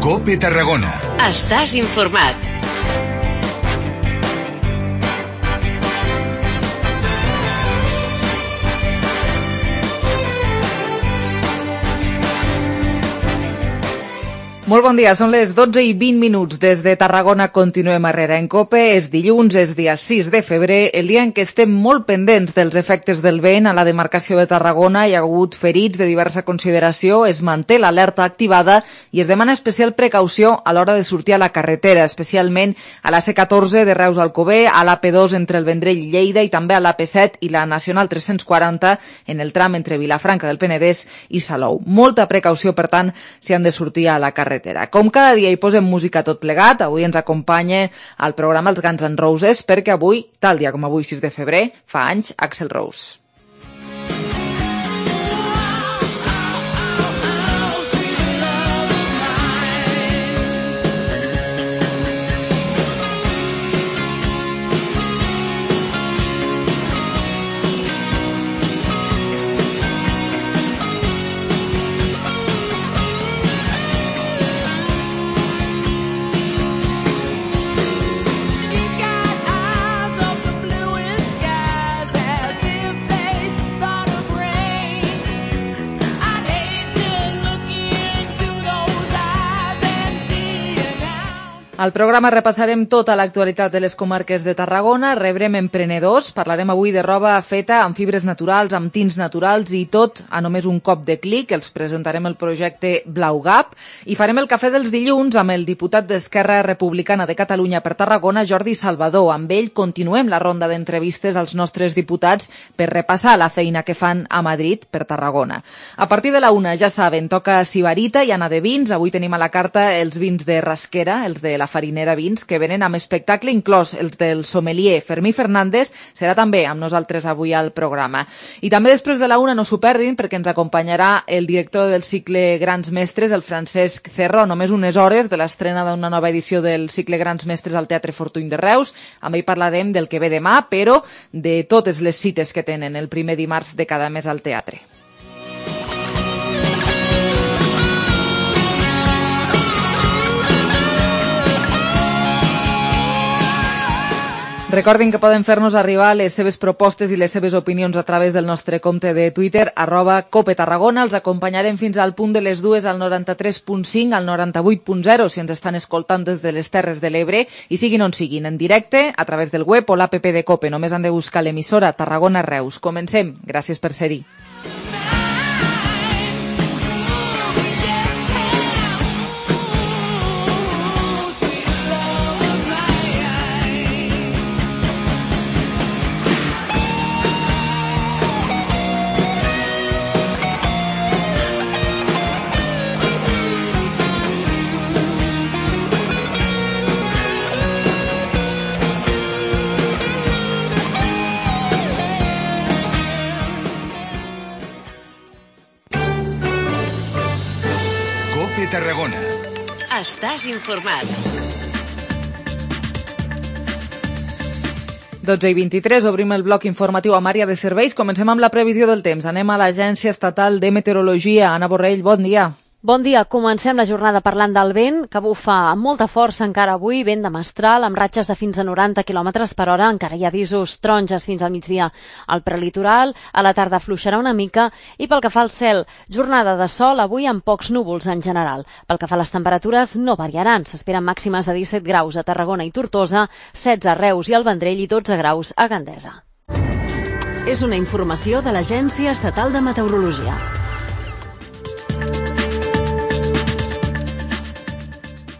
COPE Tarragona. Estàs informat. Molt bon dia, són les 12:20 des de Tarragona. Continuem a Herrera en COPE. És dilluns, és dia 6 de febrer, el dia en què estem molt pendents dels efectes del vent. A la demarcació de Tarragona hi ha hagut ferits de diversa consideració, es manté l'alerta activada i es demana especial precaució a l'hora de sortir a la carretera, especialment a la C14 de Reus a Alcover, a l'AP2 entre el Vendrell i Lleida i també a l'AP7 i la Nacional 340 en el tram entre Vilafranca del Penedès i Salou. Molta precaució, per tant, si han de sortir a la carretera. Com cada dia hi posem música tot plegat, avui ens acompanya al programa els Guns N' Roses, perquè avui, tal dia com avui, 6 de febrer, fa anys Axl Rose. Al programa repassarem tota l'actualitat de les comarques de Tarragona, rebrem emprenedors, parlarem avui de roba feta amb fibres naturals, amb tints naturals i tot a només un cop de clic. Els presentarem el projecte Blaugap i farem el cafè dels dilluns amb el diputat d'Esquerra Republicana de Catalunya per Tarragona, Jordi Salvador. Amb ell continuem la ronda d'entrevistes als nostres diputats per repassar la feina que fan a Madrid per Tarragona. A partir de la 1, ja saben, toca Sibarita i Anna de Vins. Avui tenim a la carta els vins de Rasquera, els de la Farinera Vins, que venen amb espectacle inclòs els del sommelier Fermí Fernández. Serà també amb nosaltres avui al programa. I també després de la 1 no s'ho perdin, perquè ens acompanyarà el director del cicle Grans Mestres, el Francesc Cerro, només unes hores de l'estrena d'una nova edició del cicle Grans Mestres al Teatre Fortuny de Reus. Amb ell parlarem del que ve demà, però de totes les cites que tenen el primer dimarts de cada mes al teatre. Recordin que poden fer-nos arribar les seves propostes i les seves opinions a través del nostre compte de Twitter, @COPETarragona. Els acompanyarem fins al punt de les 2 al 93.5, al 98.0, si ens estan escoltant des de les Terres de l'Ebre, i siguin on siguin, en directe, a través del web o l'app de COPE. Només han de buscar l'emissora Tarragona Reus. Comencem. Gràcies per ser-hi. Tarragona. Estàs informat. 12:23, obrim el bloc informatiu amb àrea de serveis. Comencem amb la previsió del temps. Anem a l'Agència Estatal de Meteorologia. Anna Borrell, bon dia. Bon dia. Comencem la jornada parlant del vent, que bufa amb molta força encara avui, vent de mestral, amb ratxes de fins a 90 km per hora. Encara hi ha avisos taronges fins al migdia al prelitoral. A la tarda afluixarà una mica. I pel que fa al cel, jornada de sol, avui amb pocs núvols en general. Pel que fa a les temperatures, no variaran. S'esperen màximes de 17 graus a Tarragona i Tortosa, 16 a Reus i al Vendrell i 12 graus a Gandesa. És una informació de l'Agència Estatal de Meteorologia.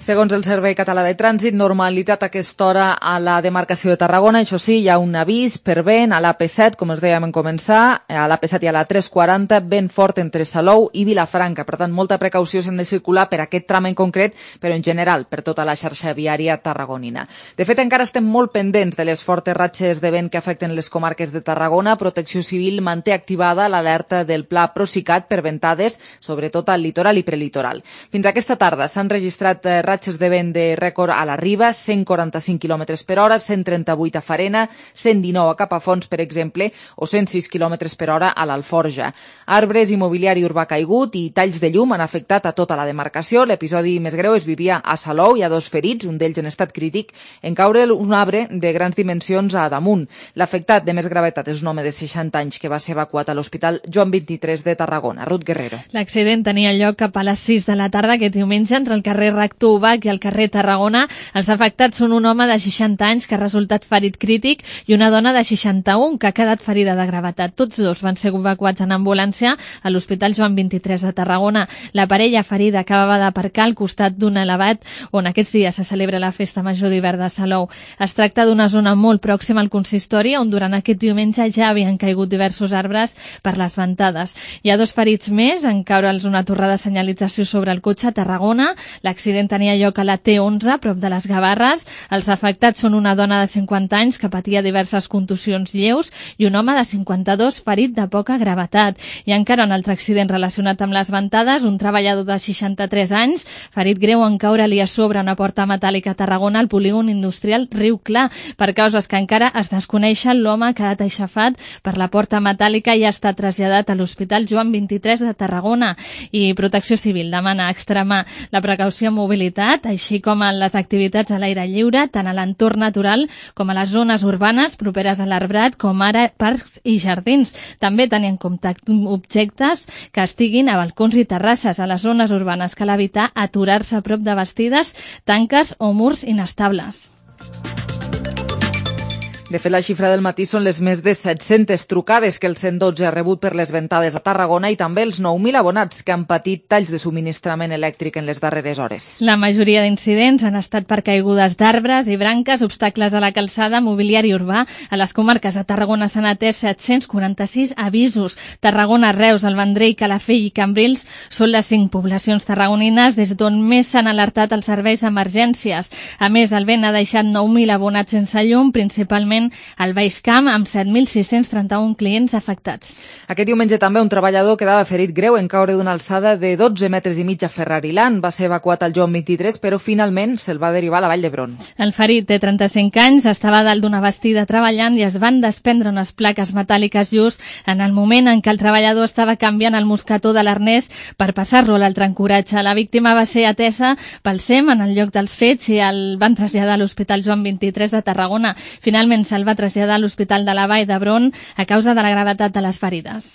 Segons el Servei Català de Trànsit, normalitat a aquesta hora a la demarcació de Tarragona. Això sí, hi ha un avís per vent a l'AP7, com us dèiem en començar, a l'AP7 i a la 340, vent fort entre Salou i Vilafranca. Per tant, molta precaució s'han de circular per aquest tram en concret, però en general per tota la xarxa viària tarragonina. De fet, encara estem molt pendents de les fortes ratxes de vent que afecten les comarques de Tarragona. Protecció Civil manté activada l'alerta del Pla Procicat per ventades, sobretot al litoral i prelitoral. Fins aquesta tarda s'han registrat ratxes de vent de rècord a la Riba, 145 km per hora, 138 a Farena, 119 a Capafonts, per exemple, o 106 km per hora a l'Alforja. Arbres i mobiliari urbà caigut i talls de llum han afectat a tota la demarcació. L'episodi més greu es vivia a Salou. Hi ha 2 ferits, un d'ells en estat crític, en caure un arbre de grans dimensions a damunt. L'afectat de més gravetat és un home de 60 anys que va ser evacuat a l'Hospital Joan 23 de Tarragona. Ruth Guerrero. L'accident tenia lloc cap a les 6 de la tarda aquest diumenge entre el carrer Rector Ubach i el carrer Tarragona. Els afectats són un home de 60 anys que ha resultat ferit crític i una dona de 61 que ha quedat ferida de gravetat. Tots dos van ser evacuats en ambulància a l'Hospital Joan 23 de Tarragona. La parella ferida acabava d'aparcar al costat d'un elevat on aquests dies se celebra la Festa Major d'hivern de Salou. Es tracta d'una zona molt pròxima al consistori on durant aquest diumenge ja havien caigut diversos arbres per les ventades. Hi ha 2 ferits més en caure'ls una torre de senyalització sobre el cotxe a Tarragona. L'accident tenia lloc a la T11, prop de les Gavarres. Els afectats són una dona de 50 anys que patia diverses contusions lleus i un home de 52 ferit de poca gravetat. I encara un altre accident relacionat amb les ventades, un treballador de 63 anys, ferit greu en caure-li a sobre una porta metàl·lica a Tarragona al polígon industrial Riu Clar. Per causes que encara es desconeixen, l'home ha quedat aixafat per la porta metàl·lica i ha estat traslladat a l'Hospital Joan 23 de Tarragona. I Protecció Civil demana extremar la precaució en mobilitat, així com en les activitats a l'aire lliure, tant a l'entorn natural com a les zones urbanes properes a l'arbrat, com ara parcs i jardins. També tenir en compte objectes que estiguin a balcons i terrasses. A les zones urbanes cal evitar aturar-se a prop de bastides, tanques o murs inestables. De fet, la xifra del matí són les més de 700 trucades que el 112 ha rebut per les ventades a Tarragona i també els 9.000 abonats que han patit talls de subministrament elèctric en les darreres hores. La majoria d'incidents han estat per caigudes d'arbres i branques, obstacles a la calçada, mobiliari urbà. A les comarques de Tarragona s'han atès 746 avisos. Tarragona, Reus, el Vendrell, Calafell i Cambrils són les 5 poblacions tarragonines des d'on més s'han alertat els serveis d'emergències. A més, el vent ha deixat 9.000 abonats sense llum, principalment al Baix Camp, amb 7.631 clients afectats. Aquest diumenge també un treballador quedava ferit greu en caure d'una alçada de 12 metres i mig a Ferrariland. Va ser evacuat al Joan 23, però finalment se'l va derivar a la Vall d'Hebron. El ferit té 35 anys, estava dalt d'una bastida treballant i es van desprendre unes plaques metàl·liques just en el moment en què el treballador estava canviant el mosquetó de l'arnès per passar-lo a l'altre ancoratge. La víctima va ser atesa pel SEM en el lloc dels fets i el van traslladar a l'Hospital Joan 23 de Tarragona. Finalment se'l va traslladar a l'Hospital de la Vall d'Hebron a causa de la gravetat de les ferides.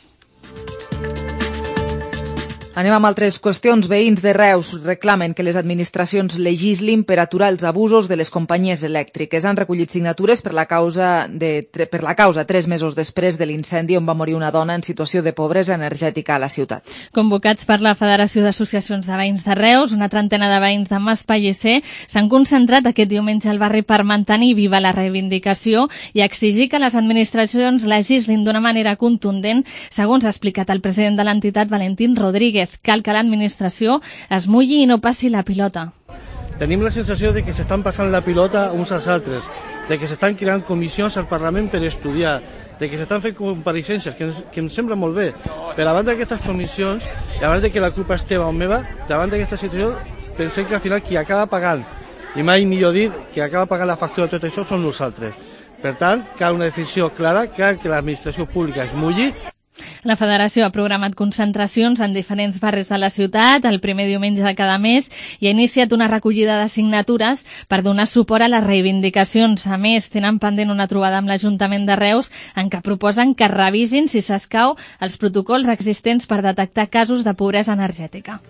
Anem amb altres qüestions. Veïns de Reus reclamen que les administracions legislin per aturar els abusos de les companyies elèctriques. Han recollit signatures per la causa 3 mesos després de l'incendi on va morir una dona en situació de pobresa energètica a la ciutat. Convocats per la Federació d'Associacions de Veïns de Reus, una trentena de veïns de Mas Pellicer s'han concentrat aquest diumenge al barri per mantenir viva la reivindicació i exigir que les administracions legislin d'una manera contundent, segons ha explicat el president de l'entitat, Valentín Rodríguez. Cal que l'administració es mulli i no passi la pilota. Tenim la sensació de que s'estan passant la pilota uns als altres, de que s'estan creant comissions al Parlament per estudiar, de que s'estan fent compareixences, que em sembla molt bé. Però davant d'aquestes comissions, davant de que la culpa és teva o meva, davant d'aquesta situació, pensem que al final qui acaba pagant, i mai millor dit, qui acaba pagant la factura de tot això són nosaltres. Per tant, cal una definició clara, cal que l'administració pública es mulli. La Federació ha programat concentracions en diferents barris de la ciutat el primer diumenge de cada mes i ha iniciat una recollida de signatures per donar suport a les reivindicacions. A més, tenen pendent una trobada amb l'Ajuntament de Reus en què proposen que revisin, si s'escau, els protocols existents per detectar casos de pobresa energètica.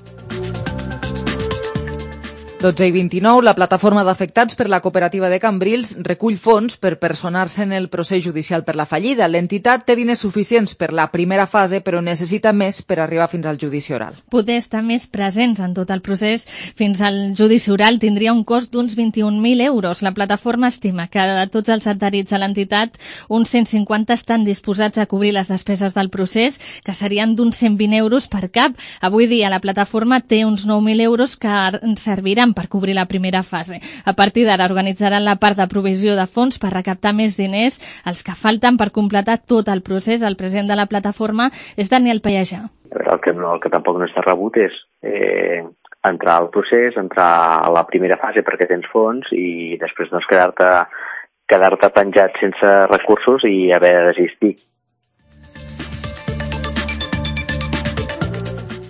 12:29, la plataforma d'afectats per la cooperativa de Cambrils recull fons per personar-se en el procés judicial per la fallida. L'entitat té diners suficients per la primera fase, però necessita més per arribar fins al judici oral. Poder estar més presents en tot el procés fins al judici oral tindria un cost d'uns 21.000 euros. La plataforma estima que de tots els adherits a l'entitat, uns 150 estan disposats a cobrir les despeses del procés, que serien d'uns 120 euros per cap. Avui dia la plataforma té uns 9.000 euros que serviran per cobrir la primera fase. A partir d'ara organitzaran la part de provisió de fons per recaptar més diners, els que falten per completar tot el procés. El president de la plataforma és Daniel Pallejà. El que tampoc no està rebut és entrar al procés, entrar a la primera fase perquè tens fons i després doncs, quedar-te penjat sense recursos i haver de desistir.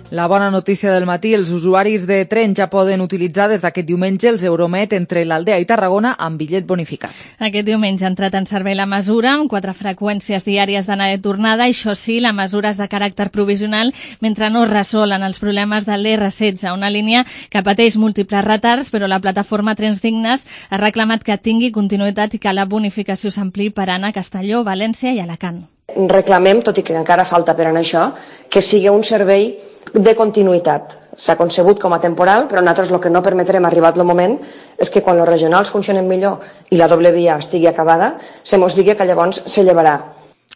La bona notícia del matí, els usuaris de tren ja poden utilitzar des d'aquest diumenge els Euromet entre l'Aldea i Tarragona amb bitllet bonificat. Aquest diumenge ha entrat en servei la mesura amb 4 freqüències diàries d'anada i tornada. Això sí, la mesura és de caràcter provisional mentre no es resolen els problemes de l'R16, una línia que pateix múltiples retards, però la plataforma Trens Dignes ha reclamat que tingui continuïtat i que la bonificació s'ampliï per anar a Castelló, València i Alacant. Reclamem, tot i que encara falta per anar això, que sigui un servei de continuïtat. S'ha concebut com a temporal, però nosaltres el que no permetrem, arribat el moment, és que quan els regionals funcionen millor i la doble via estigui acabada, se mos digui que llavors se llevarà.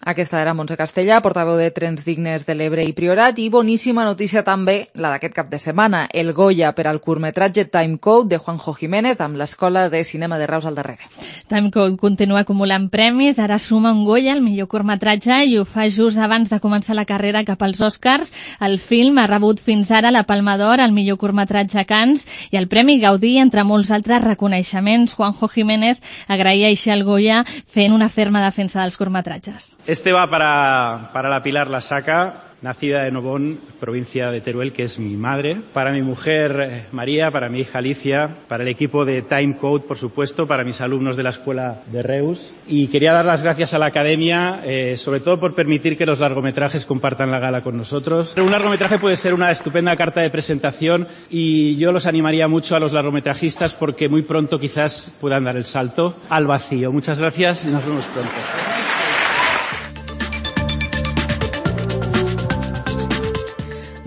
Aquesta era Montse Castellà, portaveu de Trens Dignes de l'Ebre i Priorat, i boníssima notícia també, la d'aquest cap de setmana, el Goya per al curtmetratge Time Code de Juanjo Jiménez amb l'Escola de Cinema de Reus al darrere. Time Code continua acumulant premis, ara suma un Goya, el millor curtmetratge, i ho fa just abans de començar la carrera cap als Oscars. El film ha rebut fins ara la Palma d'Or, el millor curtmetratge a Cannes, i el Premi Gaudí, entre molts altres reconeixements. Juanjo Jiménez agraïa així al Goya fent una ferma defensa dels curtmetratges. Este va para la Pilar Lasaca, nacida de Nobón, provincia de Teruel, que es mi madre, para mi mujer María, para mi hija Alicia, para el equipo de Time Code, por supuesto, para mis alumnos de la Escuela de Reus. Y quería dar las gracias a la Academia, sobre todo por permitir que los largometrajes compartan la gala con nosotros. Un largometraje puede ser una estupenda carta de presentación y yo los animaría mucho a los largometrajistas porque muy pronto quizás puedan dar el salto al vacío. Muchas gracias y nos vemos pronto.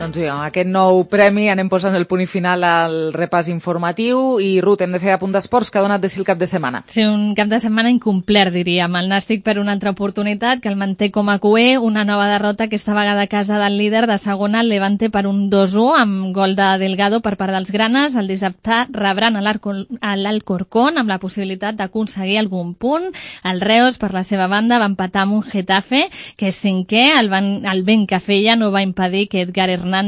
Doncs bé, amb aquest nou premi anem posant el punt i final al repàs informatiu i, Ruth, hem de fer apunt d'esports que ha donat de si el cap de setmana. Sí, un cap de setmana incomplert, diríem. El Nàstic per una altra oportunitat, que el manté com a cué, una nova derrota aquesta vegada a casa del líder de segona, el Levante, per un 2-1, amb gol de Delgado per part dels granes. El dissabte rebran a l'Alcorcón amb la possibilitat d'aconseguir algun punt. El Reus, per la seva banda, va empatar amb un Getafe, que és cinquè. El vent que feia no va impedir que Edgar Hernández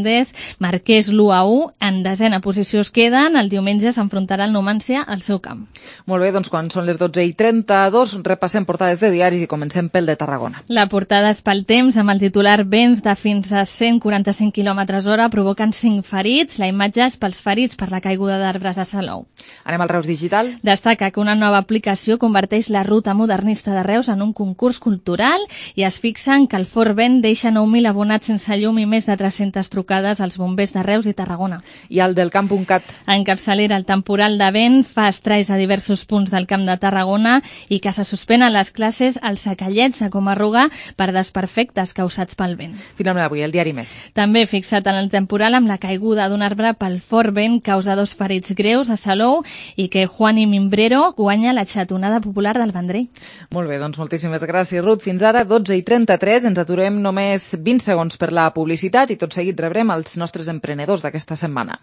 marqués l'1-1. En desena posició es queden. El diumenge s'enfrontarà el Numancia al seu camp. Molt bé, doncs quan són les 12:32 repassem portades de diaris i comencem pel de Tarragona. La portada és pel temps, amb el titular vents de fins a 145 km/h provoquen 5 ferits. La imatge és pels ferits per la caiguda d'arbres a Salou. Anem al Reus Digital. Destaca que una nova aplicació converteix la ruta modernista de Reus en un concurs cultural i es fixen que el fort vent deixa 9.000 abonats sense llum i més de 300 trucades als bombers de Reus i Tarragona. I el del camp.cat. En capçalera, el temporal de vent fa estralls a diversos punts del Camp de Tarragona i que se suspenen les classes als Sacallets a Comarruga per desperfectes causats pel vent. Finalment avui, el diari Més. També fixat en el temporal amb la caiguda d'un arbre pel fort vent causa 2 ferits greus a Salou i que Juani Mimbrero guanya la xatonada popular del Vendrell. Molt bé, doncs moltíssimes gràcies, Ruth. Fins ara, 12:33. Ens aturem només 20 segons per la publicitat i tot seguit rebrem els nostres emprenedors d'aquesta setmana.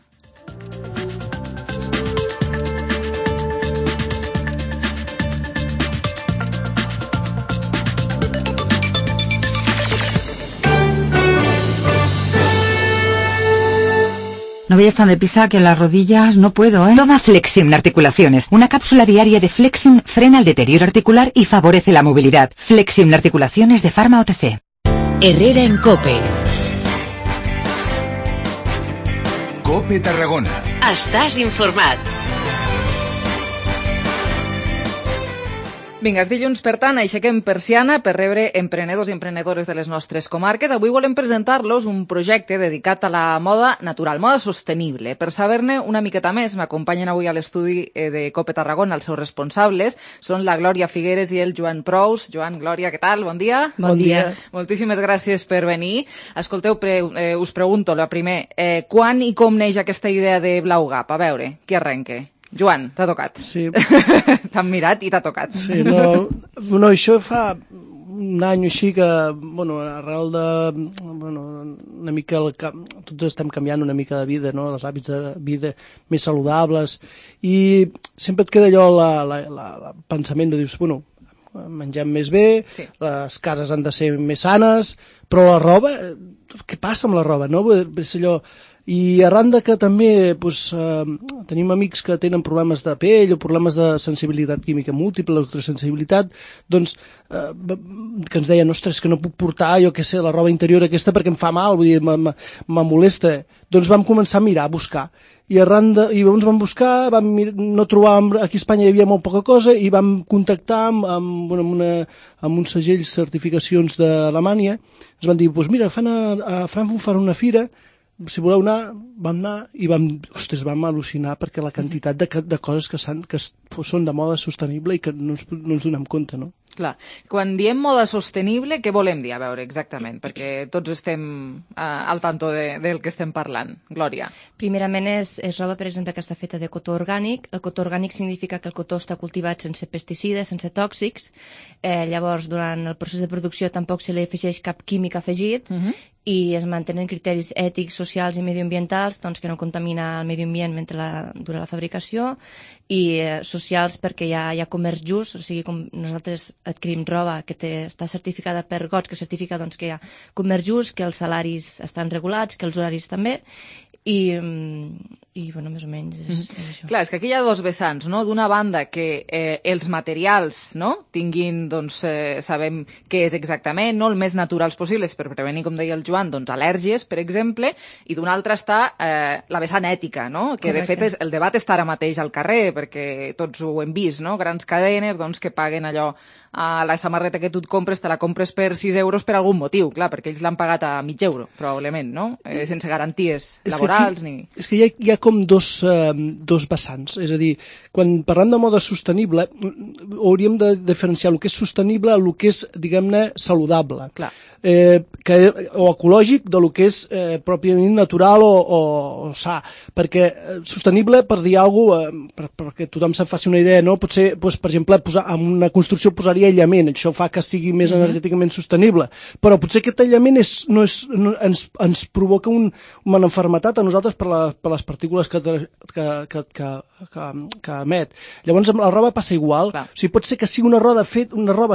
No vayas tan deprisa que las rodillas no puedo, ¿eh? Toma Flexim Articulaciones. Una cápsula diaria de Flexim frena el deterioro articular y favorece la movilidad. Flexim Articulaciones de Pharma OTC. Herrera en COPE. COPE Tarragona. Estàs informat. Vinga, és dilluns, per tant, aixequem persiana per rebre emprenedors i emprenedores de les nostres comarques. Avui volem presentar-los un projecte dedicat a la moda natural, moda sostenible. Per saber-ne una miqueta més, m'acompanyen avui a l'estudi de COPE Tarragona els seus responsables. Són la Glòria Figueres i el Joan Prous. Joan, Glòria, què tal? Bon dia. Bon dia. Moltíssimes gràcies per venir. Escolteu, us pregunto, la primer, quan i com neix aquesta idea de Blaugap? A veure, qui arrenca? Joan, t'ha tocat. Sí. T'han mirat i t'ha tocat. Sí, no, això fa un any o així que, bueno, arrel de, bueno, una mica, tots estem canviant una mica de vida, no?, els hàbits de vida més saludables, i sempre et queda allò, el pensament de dir, bueno, mengem més bé, sí, les cases han de ser més sanes, però la roba, què passa amb la roba, no? És allò, I arran de que també tenim amics que tenen problemes de pell o problemes de sensibilitat química múltiple, electrosensibilitat, doncs que ens deien, ostres, que no puc portar, jo què sé, la roba interior aquesta perquè em fa mal, vull dir, me molesta. Doncs vam començar a mirar, a buscar. I llavors vam buscar, no trobàvem, aquí a Espanya hi havia molt poca cosa, i vam contactar amb uns segells certificacions d'Alemanya. Ens van dir, doncs mira, a Frankfurt fan una fira, si voleu anar, vam anar i vam al·lucinar perquè la quantitat de coses que són de moda sostenible i que no ens donem compte, no? Clar, quan diem moda sostenible, què volem dir? A veure, exactament, perquè tots estem al tanto del que estem parlant. Glòria. Primerament és roba, per exemple, que està feta de cotó orgànic. El cotó orgànic significa que el cotó està cultivat sense pesticides, sense tòxics. Llavors, durant el procés de producció tampoc se li afegeix cap químic afegit i es mantenen criteris ètics, socials i mediambientals, doncs, que no contamina el medi ambient durant la fabricació, i socials perquè hi ha comerç just, o sigui, com nosaltres adquirim roba que està certificada per GOTS, que certifica doncs, que hi ha comerç just, que els salaris estan regulats, que els horaris també, i bueno, més o menys és això. Clar, és que aquí hi ha dos vessants, no? D'una banda que els materials, no?, tinguin, doncs, sabem què és exactament, no?, el més naturals possibles per prevenir, com deia el Joan, doncs, al·lèrgies, per exemple, i d'una altra està la vessant ètica, no?, que de fet el debat està ara mateix al carrer, perquè tots ho hem vist, no?, grans cadenes, doncs, que paguen allò, la samarreta que tu et compres, te la compres per 6 euros per algun motiu, clar, perquè ells l'han pagat a mig euro, probablement, no?, sense garanties laborals ni... És que hi ha com dos vessants, és a dir, quan parlem de moda sostenible hauríem de diferenciar el que és sostenible del que és, diguem-ne, saludable. Clar. O ecològic de lo que és pròpiament natural o sa, perquè sostenible, per dir alguna cosa, perquè tothom se'n faci una idea, no? Potser, doncs, per exemple, en una construcció posaria aïllament, això fa que sigui més energèticament sostenible, però potser aquest aïllament ens provoca una malaltia a nosaltres per les partícules que emet. Llavors amb la roba passa igual. Clar. O sigui, pot ser que sigui una roba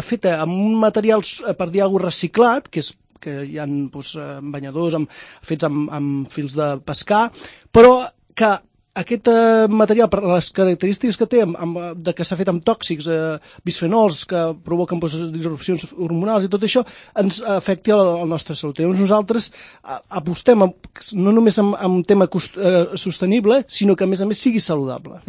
feta amb un material, per dir alguna cosa, reciclat, que hi ha banyadors fets amb fils de pescar, però que aquest material, per les característiques que té, que s'ha fet amb tòxics, bisfenols, que provoquen disrupcions hormonals i tot això, ens afecti a la nostra salut. Llavors nosaltres apostem no només en un tema sostenible, sinó que a més sigui saludable.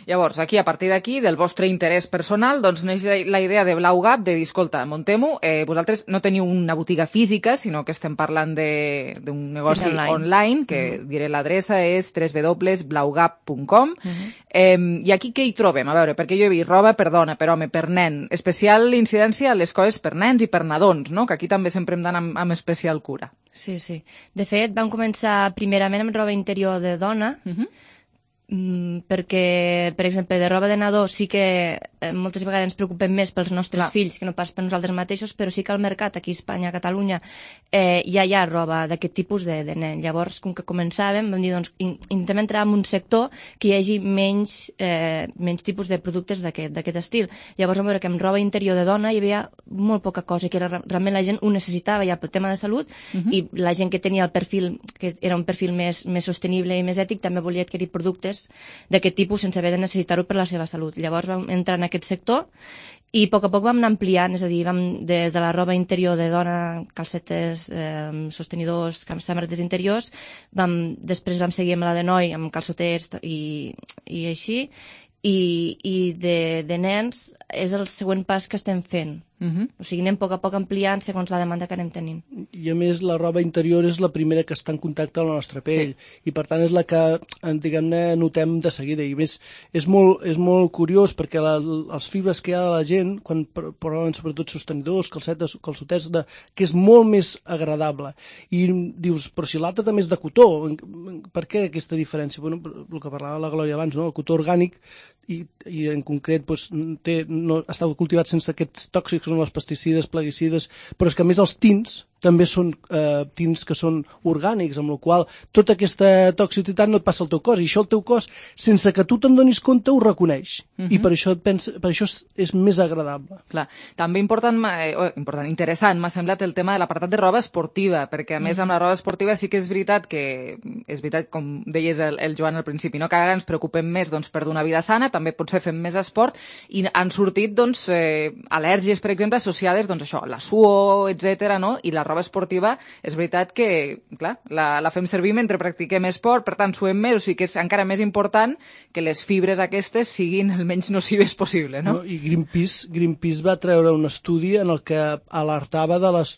Llavors, aquí, a partir d'aquí, del vostre interès personal, doncs neix la idea de Blau Gap de dir, escolta, muntem-ho, vosaltres no teniu una botiga física, sinó que estem parlant d'un negoci online, que diré l'adreça és www.blaugap.com. I aquí què hi trobem? A veure, perquè jo he vist roba per dona, per home, per nen, especial incidència a les coses per nens i per nadons, no?, que aquí també sempre hem d'anar amb especial cura. Sí. De fet, vam començar primerament amb roba interior de dona, perquè, per exemple, de roba de nadó sí que moltes vegades ens preocupem més pels nostres fills que no pas per nosaltres mateixos, però sí que al mercat aquí a Espanya, a Catalunya, ja hi ha roba d'aquest tipus de nen. Llavors, com que començàvem, vam dir, doncs, intentem entrar en un sector que hi hagi menys tipus de productes d'aquest estil. Llavors vam veure que amb roba interior de dona hi havia molt poca cosa, que realment la gent ho necessitava ja pel tema de salut, i la gent que tenia el perfil, que era un perfil més sostenible i més ètic, també volia adquirir productes d'aquest tipus sense haver de necessitar-ho per la seva salut. Llavors vam entrar en aquest sector i a poc vam anar ampliant, és a dir, des de la roba interior de dona, calcetes, sostenidors, samarretes interiors, després vam seguir amb la de noi, amb calçoters i així, i de nens és el següent pas que estem fent. O sigui, anem a poc ampliant segons la demanda que anem tenint. I a més la roba interior és la primera que està en contacte amb la nostra pell, i per tant és la que, diguem-ne, notem de seguida. I més, és molt curiós perquè els fibres que hi ha de la gent, quan proven sobretot sostenidors, calçotets, que és molt més agradable. I dius, però si l'altre també és de cotó, per què aquesta diferència? Bueno, el que parlava la Glòria abans, no? El cotó orgànic i en concret està cultivat sense aquests tòxics, són els pesticides, plaguicides, però és que a més els tints també són tints que són orgànics, amb la qual tota aquesta toxicitat no et passa al teu cos, i això el teu cos, sense que tu te'n donis compte, ho reconeix, i per això és més agradable. Clar. També interessant m'ha semblat el tema de l'apartat de roba esportiva, perquè a més amb la roba esportiva sí que és veritat, com deies el Joan al principi, no? Cada vegada ens preocupem més per donar vida sana, també potser fem més esport, i han sortit al·lèrgies, per exemple, associades a la suor, etc. no? I la roba esportiva, és veritat que, clar, la fem servir mentre practiquem esport, per tant suem més, o sigui que és encara més important que les fibres aquestes siguin el menys nocives possible, no? I Greenpeace va treure un estudi en el que alertava de les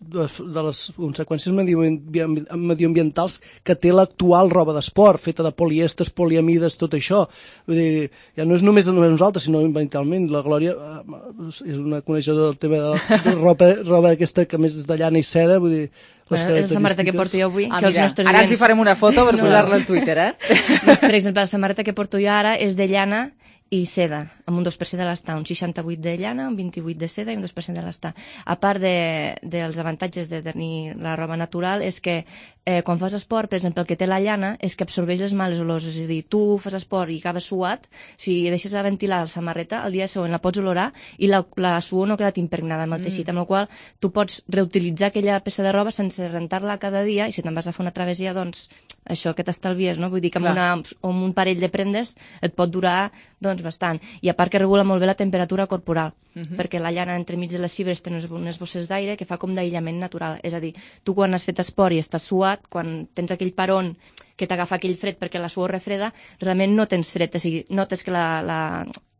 conseqüències mediambientals que té l'actual roba d'esport, feta de polièsters, poliamides, tot això. Vull dir, ja no és només nosaltres, sinó ambientalment. La Glòria és una coneixedora del tema de roba aquesta que més és de llana i seda, vull dir, les característiques... La samarreta que porto jo avui, que els nostres ara ens hi farem una foto per posar-la al Twitter, Per exemple, la samarreta que porto jo ara és de llana i seda, amb un 2% de l'estar, un 68 de llana, un 28 de seda i un 2% de l'estar. A part dels avantatges de tenir la roba natural és que quan fas esport, per exemple, el que té la llana és que absorbeix les males olors, és a dir, tu fas esport i acabes suat, si deixes a ventilar la samarreta, el dia següent la pots olorar i la suor no ha quedat impregnada amb el teixit, amb la qual tu pots reutilitzar aquella peça de roba sense rentar-la cada dia, i si te'n vas a fer una travessia, doncs això que t'estalvies, no? Vull dir que amb un parell de prendes et pot durar bastant. I a part que regula molt bé la temperatura corporal, perquè la llana entremig de les fibres té unes bosses d'aire que fa com d'aïllament natural. És a dir, tu quan has fet esport i estàs suat, quan tens aquell peron que t'agafa aquell fred perquè la suor refreda, realment no tens fred, o sigui, notes que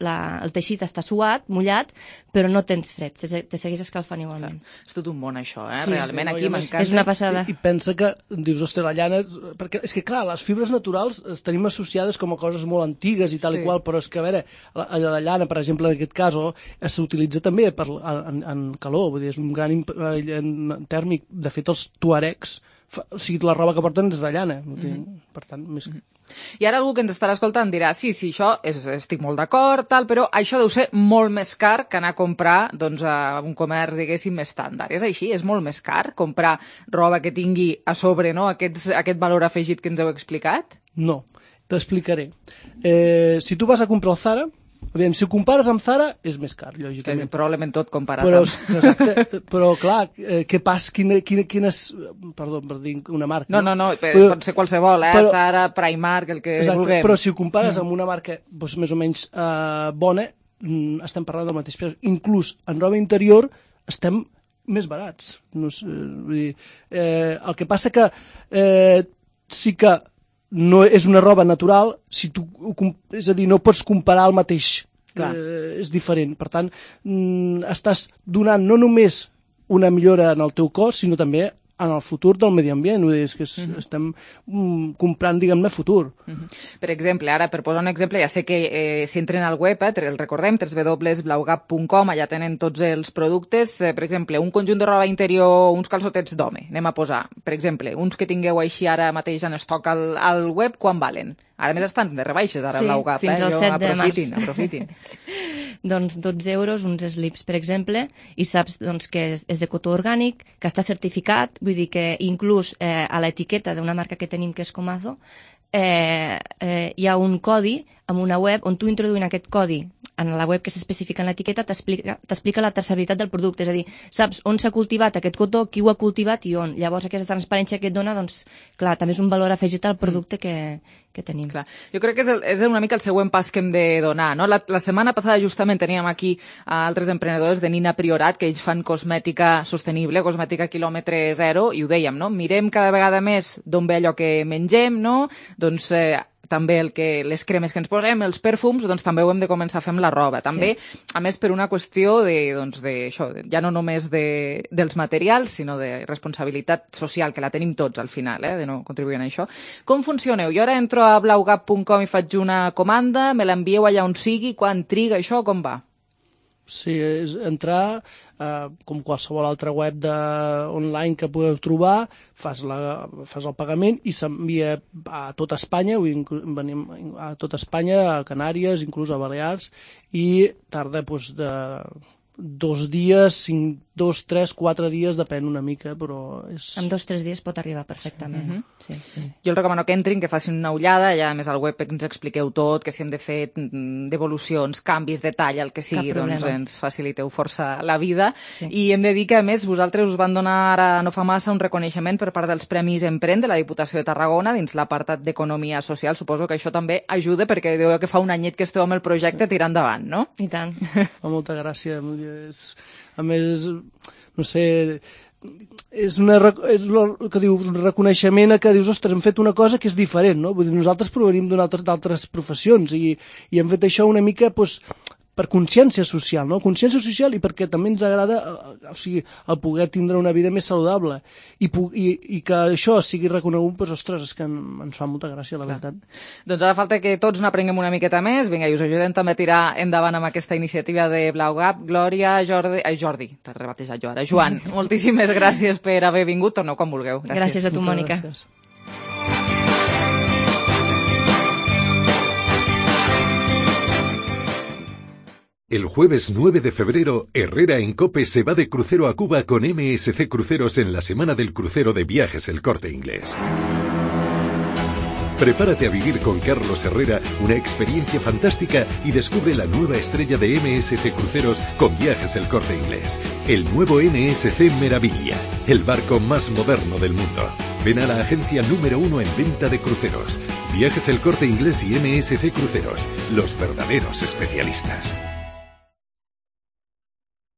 el teixit està suat, mullat, però no tens fred, te segueix escalfant igualment. És tot un món això, Sí, realment aquí m'encanta. És una passada. I pensa que, dius, ostres, la llana... Perquè és que, clar, les fibres naturals les tenim associades com a coses molt antigues i tal i qual, però és que, a veure, la llana, per exemple, en aquest cas, s'utilitza també en calor, vull dir, és un gran tèrmic. De fet, els tuaregs, o sigui, la roba que porten és de llana, per tant, més... I ara algú que ens estarà escoltant dirà sí, això estic molt d'acord, però això deu ser molt més car que anar a comprar a un comerç, diguéssim, estàndard. És així? És molt més car comprar roba que tingui a sobre aquest valor afegit que ens heu explicat? No, t'explicaré. Si tu vas a comprar al Zara, aviam, si ho compares amb Zara, és més car, lògicament. Probablement tot comparat però clar, què passa? Quines... Perdó, per dir una marca. No, pot ser qualsevol, Zara, Primark, el que vulguem. Però si ho compares amb una marca més o menys bona, estem parlant del mateix preu. Inclús en roba interior estem més barats. No sé, vull dir, el que passa que sí que no és una roba natural, és a dir, no pots comparar el mateix, és diferent. Per tant, estàs donant no només una millora en el teu cos, sinó també en el futur del medi ambient. És que estem comprant, diguem-ne, futur. Per exemple, ara, per posar un exemple, ja sé que si entren al web, el recordem, www.blaugap.com, allà tenen tots els productes. Per exemple, un conjunt de roba interior, uns calçotets d'home, anem a posar. Per exemple, uns que tingueu així ara mateix en estoc al web, quan valen? A més estan de rebaixes ara a Blau Gap, fins al 7 de març. Aprofitin. Doncs 12 euros, uns slips, per exemple, i saps que és de cotó orgànic, que està certificat, vull dir que inclús a l'etiqueta d'una marca que tenim que és Comazo, hi ha un codi amb una web on tu introduint aquest codi en la web que s'especifica en l'etiqueta t'explica la traçabilitat del producte, és a dir, saps on s'ha cultivat aquest cotó, qui ho ha cultivat i on. Llavors aquesta transparència que et dona, doncs, clar, també és un valor afegit al producte que tenim. Clar. Jo crec que és una mica el següent pas que hem de donar, no? La setmana passada justament teníem aquí altres emprenedors de Nina Priorat, que ells fan cosmètica sostenible, cosmètica quilòmetre zero, i ho dèiem, no? Mirem cada vegada més d'on ve allò que mengem, no? Doncs també les cremes que ens posem, els perfums, doncs també ho hem de començar a fer amb la roba. També, a més, per una qüestió d'això, ja no només dels materials, sinó de responsabilitat social, que la tenim tots al final, de no contribuir a això. Com funcioneu? Jo ara entro a blaugap.com i faig una comanda, me l'envieu allà on sigui, quan triga això, com va? Sí, és entrar, com qualsevol altra web online que podeu trobar, fas el pagament i s'envia a tota Espanya, venim a tota Espanya, a Canàries, inclús a Balears, i tarda 2 dies, 2, 3, 4 dies, depèn una mica, però és... En 2 o 3 dies pot arribar perfectament. Sí. Jo els recomano que entrin, que facin una ullada, ja més al web ens expliqueu tot, que si hem de fer devolucions, canvis de talla, el que sigui, doncs ens faciliteu força la vida. I hem de dir que, a més, vosaltres us van donar ara no fa massa un reconeixement per part dels Premis Emprèn de la Diputació de Tarragona dins l'apartat d'Economia Social. Suposo que això també ajuda, perquè diu que fa un anyet que esteu amb el projecte tirant endavant, no? I tant. Fa molta gràcia. A més, no sé, és el que dius, un reconeixement a que dius, ostres, hem fet una cosa que és diferent, no? Vull dir, nosaltres provenim d'altres professions i hem fet això una mica, doncs, per consciència social, no? Consciència social i perquè també ens agrada, o sigui, el poder tindre una vida més saludable i que això sigui reconegut, doncs, ostres, és que ens fa molta gràcia, la veritat. Doncs ara falta que tots n'aprenguem una miqueta més, vinga, i us ajudem també a tirar endavant amb aquesta iniciativa de BlauGap. Glòria, Jordi, t'he rebatejat jo ara, Joan, moltíssimes gràcies per haver vingut, torneu quan vulgueu. Gràcies a tu, Mònica. Gràcies. El jueves 9 de febrero, Herrera en COPE se va de crucero a Cuba con MSC Cruceros en la Semana del Crucero de Viajes El Corte Inglés. Prepárate a vivir con Carlos Herrera una experiencia fantástica y descubre la nueva estrella de MSC Cruceros con Viajes El Corte Inglés. El nuevo MSC Meraviglia, el barco más moderno del mundo. Ven a la agencia número 1 en venta de cruceros. Viajes El Corte Inglés y MSC Cruceros, los verdaderos especialistas.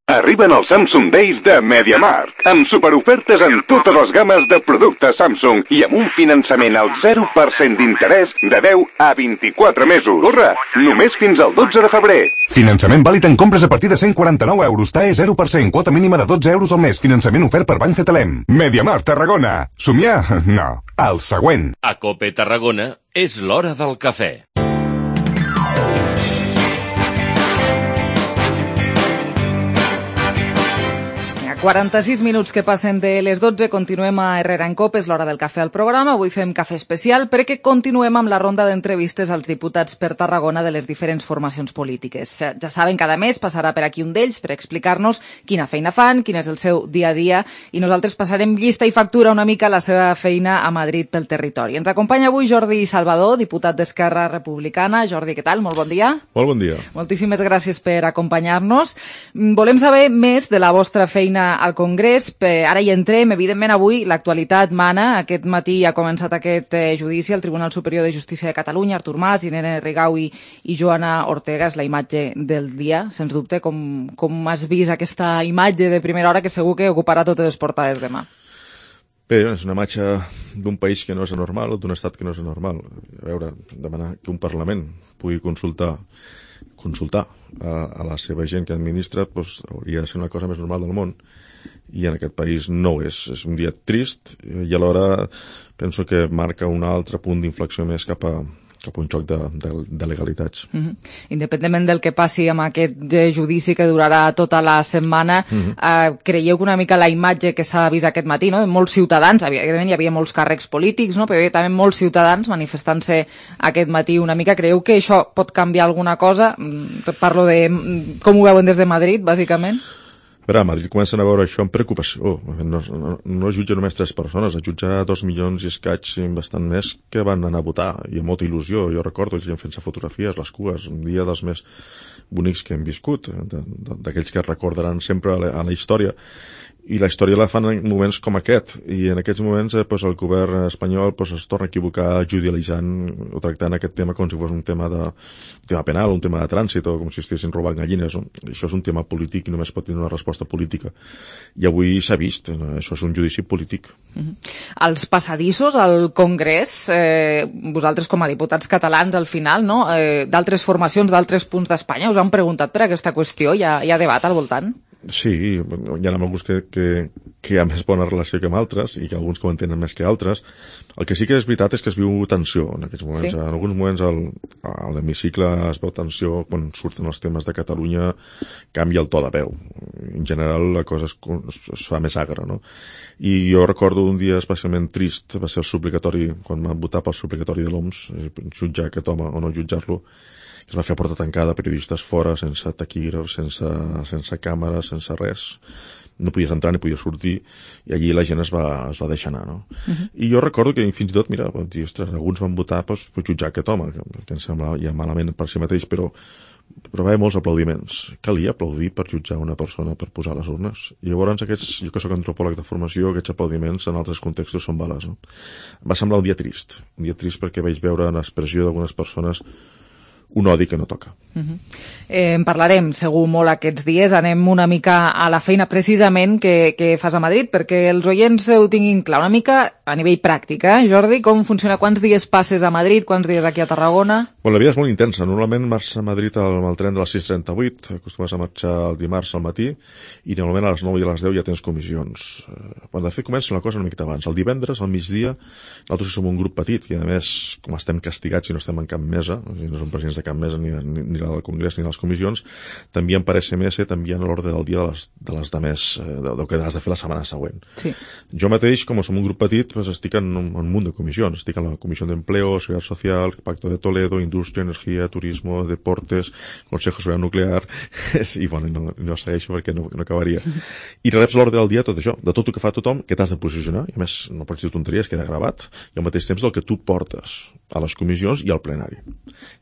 Arriben els Samsung Days de MediaMarkt, amb superofertes en totes les games de productes Samsung i amb un finançament al 0% d'interès de 10 a 24 mesos. Corre, només fins al 12 de febrer. Finançament vàlid en compres a partir de 149 euros, TAE 0%, quota mínima de 12 euros al mes, finançament ofert per Banc Cetelem. MediaMarkt Tarragona. Somiar? No. El següent. A COPE Tarragona és l'hora del cafè. A 46 minuts que passen de les 12, continuem a Herrera en COPE, és l'hora del cafè al programa. Avui fem cafè especial perquè continuem amb la ronda d'entrevistes als diputats per Tarragona de les diferents formacions polítiques. Ja saben, cada mes passarà per aquí un d'ells per explicar-nos quina feina fan, quin és el seu dia a dia, i nosaltres passarem llista i factura una mica la seva feina a Madrid pel territori. Ens acompanya avui Jordi Salvador, diputat d'Esquerra Republicana. Jordi, què tal? Molt bon dia. Molt bon dia. Moltíssimes gràcies per acompanyar-nos. Volem saber més de la vostra feina al Congrés. Ara hi entrem. Evidentment, avui l'actualitat mana. Aquest matí ha començat aquest judici al Tribunal Superior de Justícia de Catalunya. Artur Mas, Irene Rigau i Joana Ortega. És la imatge del dia, sens dubte. Com has vist aquesta imatge de primera hora que segur que ocuparà totes les portades demà? Bé, és una imatge d'un país que no és anormal, d'un estat que no és anormal. A veure, demanar que un Parlament pugui consultar a la seva gent que administra, doncs hauria de ser una cosa més normal del món, i en aquest país no ho és. És un dia trist i alhora penso que marca un altre punt d'inflexió més cap a un xoc de legalitats. Independentment del que passi amb aquest judici que durarà tota la setmana, creieu que una mica la imatge que s'ha vist aquest matí, no? Molts ciutadans, evidentment hi havia molts càrrecs polítics, no? Però hi havia també molts ciutadans manifestant-se aquest matí una mica. Creieu que això pot canviar alguna cosa? Parlo de com ho veuen des de Madrid, bàsicament. Però a Madrid comencen a veure això amb preocupació. No jutja només 3 persones, es jutja 2 milions i escaig, bastant més, que van anar a votar, i amb molta il·lusió. Jo recordo gent fent-se fotografies, les cues, un dia dels més bonics que hem viscut, d'aquells que recordaran sempre a la història. I la història la fan en moments com aquest, i en aquests moments el govern espanyol es torna a equivocar judicialitzant o tractant aquest tema com si fos un tema penal, un tema de trànsit, o com si estiguessin robant gallines. Això és un tema polític i només pot tenir una resposta política. I avui s'ha vist, això és un judici polític. Els passadissos al Congrés, vosaltres com a diputats catalans al final, no? D'altres formacions, d'altres punts d'Espanya, us han preguntat per aquesta qüestió? Hi ha debat al voltant? Sí, hi ha alguns que hi ha més bona relació que amb altres i que alguns que ho entenen més que altres. El que sí que és veritat és que es viu tensió en aquests moments. Sí. En alguns moments a l'hemicicle es veu tensió quan surten els temes de Catalunya, canvia el to de veu. En general la cosa es fa més agra, no? I jo recordo un dia especialment trist, va ser el suplicatori, quan vam votar pel suplicatori de l'OMS, jutjar aquest home o no jutjar-lo, que es va fer a porta tancada, periodistes fora, sense taquígrafs, sense càmeres, sense res. No podies entrar ni podies sortir, i allí la gent es va deixar anar, no? I jo recordo que fins i tot, mira, alguns van votar per jutjar aquest home, que em sembla ja malament per si mateix, però va haver molts aplaudiments. Calia aplaudir per jutjar una persona per posar les urnes. I llavors jo que soc antropòleg de formació, aquests aplaudiments en altres contextos són bales, no? Va semblar un dia trist perquè vaig veure en l'expressió d'algunes persones un odi que no toca. En parlarem segur molt aquests dies. Anem una mica a la feina precisament que fas a Madrid, perquè els oients ho tinguin clar una mica a nivell pràctic, Jordi, com funciona? Quants dies passes a Madrid, quants dies aquí a Tarragona? La vida és molt intensa. Normalment marxa a Madrid amb el tren de les 6:38, acostumes a marxar el dimarts al matí, i normalment a les 9 i a les 10 ja tens comissions. De fet, comença una cosa una miqueta abans. El divendres, al migdia, nosaltres som un grup petit, i a més, com estem castigats i no estem en cap mesa, no som presidents de cap mesa, ni del Congrés ni de les comissions, t'envien per SMS, t'envien a l'ordre del dia de les demés, del que has de fer la setmana següent. Sí. Jo mateix, com som un grup petit, estic en un munt de comissions. Estic en la Comissió d'Empleo, Seguridad Social, Pacto de Toledo, Indústria, Energia, Turismo, Deportes, Consejo Social Nuclear, i bueno, no segueixo perquè no acabaria. I reps l'ordre del dia tot això, de tot el que fa tothom, que t'has de posicionar, i a més no pots dir tonteries, queda gravat, i al mateix temps del que tu portes a les comissions i al plenari.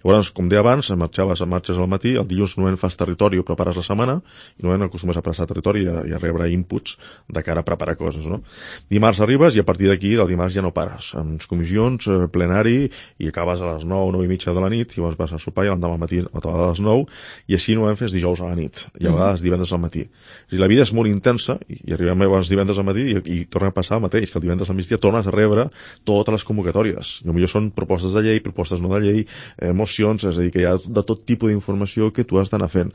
Llavors, com deia abans, marxes al matí, el dilluns no en fas territori o prepares la setmana, i no en acostumes a passar territori i a rebre inputs de cara a preparar coses, no? Dimarts arribes i a partir d'aquí, del dimarts ja no pares. Amb comissions, plenari, i acabes a les 9, 9 i mitja de la nit, i llavors vas a sopar i l'endemà al matí a les 9, i així no fes dijous a la nit, i a vegades divendres al matí. La vida és molt intensa, i arribem abans divendres al matí i torna a passar el mateix, que el divendres al migdia tornes a rebre totes les convocatòries. I potser són propostes de llei, propostes no de llei, mocions, és a dir, que hi ha de tot tipus d'informació que tu has d'anar fent.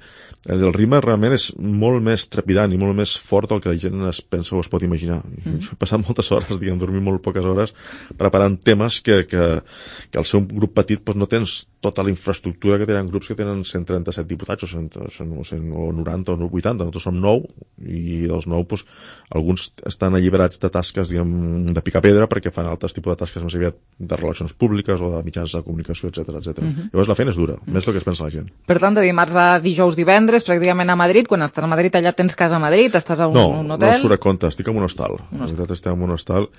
El ritme realment és molt més trepidant i molt més fort del que la gent es pensa o es pot imaginar. He passat moltes hores, dormir molt poques hores, preparant temes que al seu grup petit no tens tota la infraestructura que tenen grups que tenen 137 diputats o 90 o 80. Nosaltres som 9 i dels 9 alguns estan alliberats de tasques de picar pedra perquè fan altres tipus de tasques més aviat de relacions públiques o de mitjans de comunicació, etc. Llavors la feina és dura, més del que es pensa la gent. Per tant, de dimarts a dijous, divendres, pràcticament a Madrid. Quan estàs a Madrid, allà tens casa a Madrid? Estàs a un hotel? No surt a compte, estic en un hostal. En realitat estem en un hostal.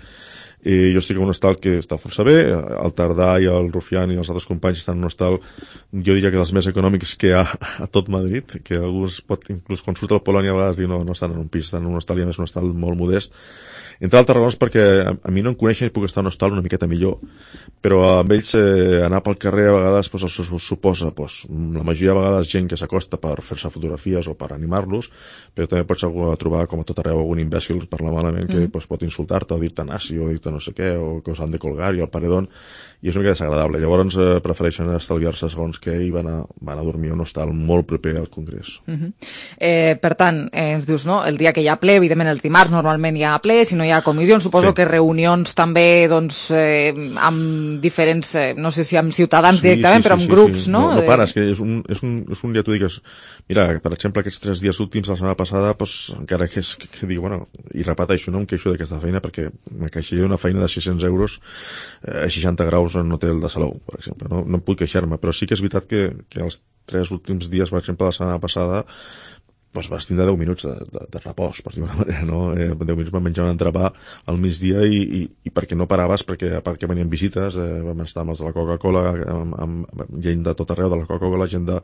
Jo estic en un hostal que està força bé, el Tardà i el Rufián i els altres companys estan en un hostal, jo diria que dels més econòmics que hi ha a tot Madrid, que alguns inclús quan surt al Polònia a vegades diu no estan en un pis, estan en un hostal, i a més un hostal molt modest. Entre altres raons perquè a mi no em coneixen i puc estar en un hostal una miqueta millor, però amb ells anar pel carrer a vegades els suposa la majoria de vegades gent que s'acosta per fer-se fotografies o per animar-los, però també pots trobar com a tot arreu algun imbècil parlar malament que pot insultar-te o dir-te nazi o dir-te no sé què, o que us han de colgar i al paredón, i és una mica desagradable. Llavors prefereixen estalviar-se segons què i van a dormir a un hostal molt proper al Congrés. Per tant, ens dius, no? El dia que hi ha ple, evidentment el dimarts normalment hi ha ple, si no hi ha comissions, suposo que reunions també amb diferents, no sé si amb ciutadans directament, però amb grups, no? No pares, que és un dia tu digues, mira, per exemple, aquests 3 dies últims de la setmana passada, encara que dic, bueno, i repeteixo, no em queixo d'aquesta feina perquè me queixaria d'una feina de 600 euros a 60 graus en un hotel de Salou, per exemple. No puc queixar-me, però sí que és veritat que els 3 últims dies, per exemple, de la setmana passada, vas tindre 10 minuts de repòs, per dir-ho d'una manera, no? 10 minuts vam menjar un entrepà al migdia i perquè no paraves, perquè venien visites, vam estar amb els de la Coca-Cola, amb gent de tot arreu de la Coca-Cola, gent de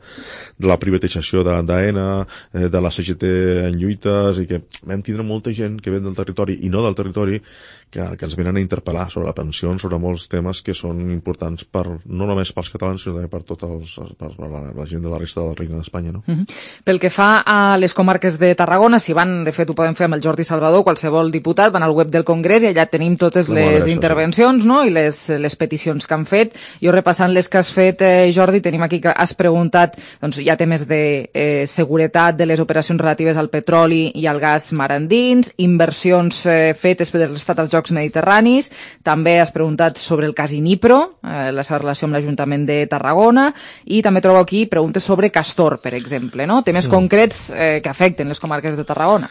la privatització d'AENA, de la CGT en lluites, i que vam tindre molta gent que ve del territori i no del territori que ens venen a interpel·lar sobre la pensió, sobre molts temes que són importants no només pels catalans, sinó també per la gent de la resta del Regne d'Espanya, no? Pel que fa a les comarques de Tarragona, si van, de fet ho podem fer amb el Jordi Salvador, qualsevol diputat, van al web del Congrés i allà tenim totes les intervencions, no? I les peticions que han fet. Jo repassant les que has fet, Jordi, tenim aquí que has preguntat, doncs hi ha temes de seguretat de les operacions relatives al petroli i al gas mar endins, inversions fetes per l'estat als Jocs Mediterranis, també has preguntat sobre el cas Inipro, la seva relació amb l'Ajuntament de Tarragona, i també trobo aquí preguntes sobre Castor, per exemple, no? Temes concrets que afecten les comarques de Tarragona.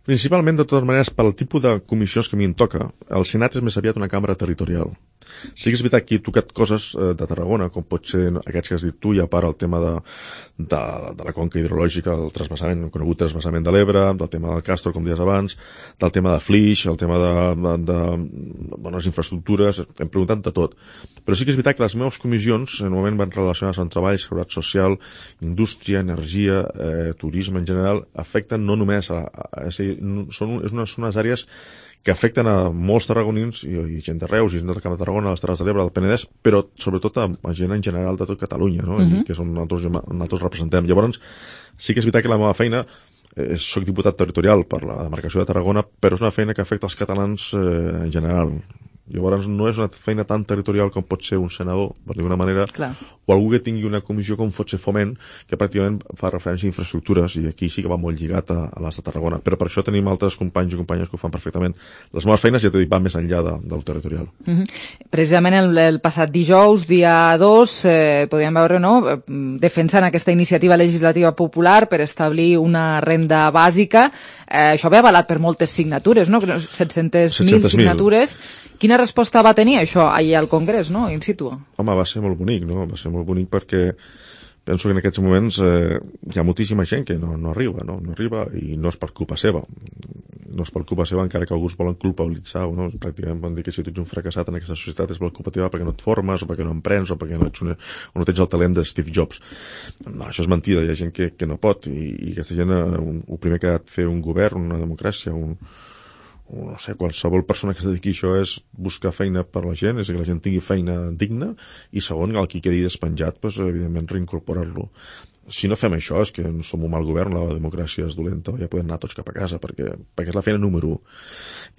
Principalment, de totes maneres, pel tipus de comissions que a mi em toca, el Senat és més aviat una cambra territorial. Sí que és veritat que he tocat coses de Tarragona, com pot ser aquests que has dit tu, i a part el tema de la conca hidrològica, el conegut transvasament de l'Ebre, del tema del Castor, com deies abans, del tema de Flix, el tema de bones infraestructures, hem preguntat de tot. Però sí que és veritat que les meves comissions normalment van relacionades amb treball, seguretat social, indústria, energia, turisme en general, afecten no només són unes àrees que afecten a molts tarragonins i gent de Reus, i gent del Camp de Tarragona, les Terres de l'Ebre, del Penedès, però sobretot a gent en general de tot Catalunya, no? I que és on nosaltres representem. Llavors, sí que és veritat que la meva feina, soc diputat territorial per la demarcació de Tarragona, però és una feina que afecta els catalans en general. Llavors no és una feina tan territorial com pot ser un senador, per dir d'una manera, o algú que tingui una comissió com pot ser Foment, que pràcticament fa referència a infraestructures, i aquí sí que va molt lligat a les de Tarragona. Però per això tenim altres companys i companyes que ho fan perfectament. Les meves feines, ja t'he dit, van més enllà del territorial. Precisament el passat dijous, dia 2, podíem veure, no?, defensant aquesta iniciativa legislativa popular per establir una renda bàsica. Això ve avalat per moltes signatures, no?, 700.000 signatures. Quina resposta va tenir això allà al Congrés, no?, in situ? Home, va ser molt bonic, no? Va ser molt bonic perquè penso que en aquests moments hi ha moltíssima gent que no arriba, no arriba, i no és per culpa seva. No és per culpa seva, encara que alguns volen culpabilitzar, no? Pràcticament van dir que si tu ets un fracassat en aquesta societat és per culpa teva perquè no et formes, o perquè no emprens, o perquè no tens el talent de Steve Jobs. No, això és mentida, hi ha gent que no pot, i aquesta gent, el primer que ha de fer un govern, una democràcia, no sé, qualsevol persona que es dediqui a això és buscar feina per la gent, és que la gent tingui feina digna, i segon, el qui quedi despenjat, doncs, evidentment reincorporar-lo. Si no fem això és que som un mal govern, la democràcia és dolenta, ja podem anar tots cap a casa, perquè és la feina número 1.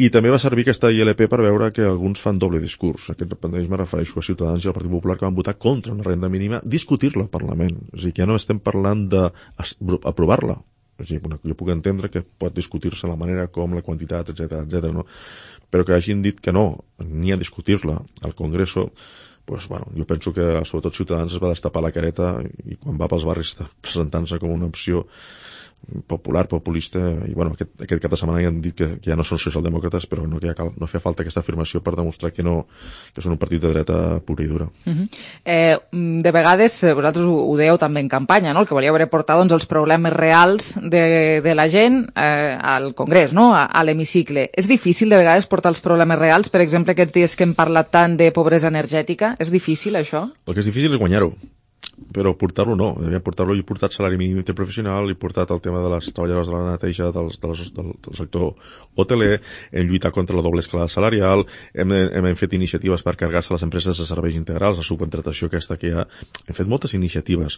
I també va servir aquesta ILP per veure que alguns fan doble discurs. Aquest repentisme refereixo a Ciutadans i al Partit Popular, que van votar contra una renda mínima, discutir-la al Parlament. És a dir, que ja no estem parlant d'aprovar-la. És a dir, jo puc entendre que pot discutir-se la manera com, la quantitat, etc., no? Però que hagin dit que no, ni a discutir-la al Congreso, doncs, bueno, jo penso que sobretot Ciutadans es va destapar la careta, i quan va pels barris presentant-se com una opció popular, populista, i bueno, aquest cap de setmana ja han dit que ja no són socialdemòcrates, però no feia falta aquesta afirmació per demostrar que són un partit de dreta pura i dura. De vegades, vosaltres ho dèieu també en campanya, no? El que volíeu era portar els problemes reals de la gent al Congrés, no? A l'hemicicle. És difícil de vegades portar els problemes reals? Per exemple, aquests dies que hem parlat tant de pobresa energètica, és difícil això? El que és difícil és guanyar-ho, però portar-lo no. He portat salari mínim interprofessional, he portat el tema de les treballadores de la neteja del sector hoteler, hem lluitat contra la doble escalada salarial, hem fet iniciatives per carregar-se les empreses de serveis integrals, la subcontratació aquesta que hi ha. Hem fet moltes iniciatives.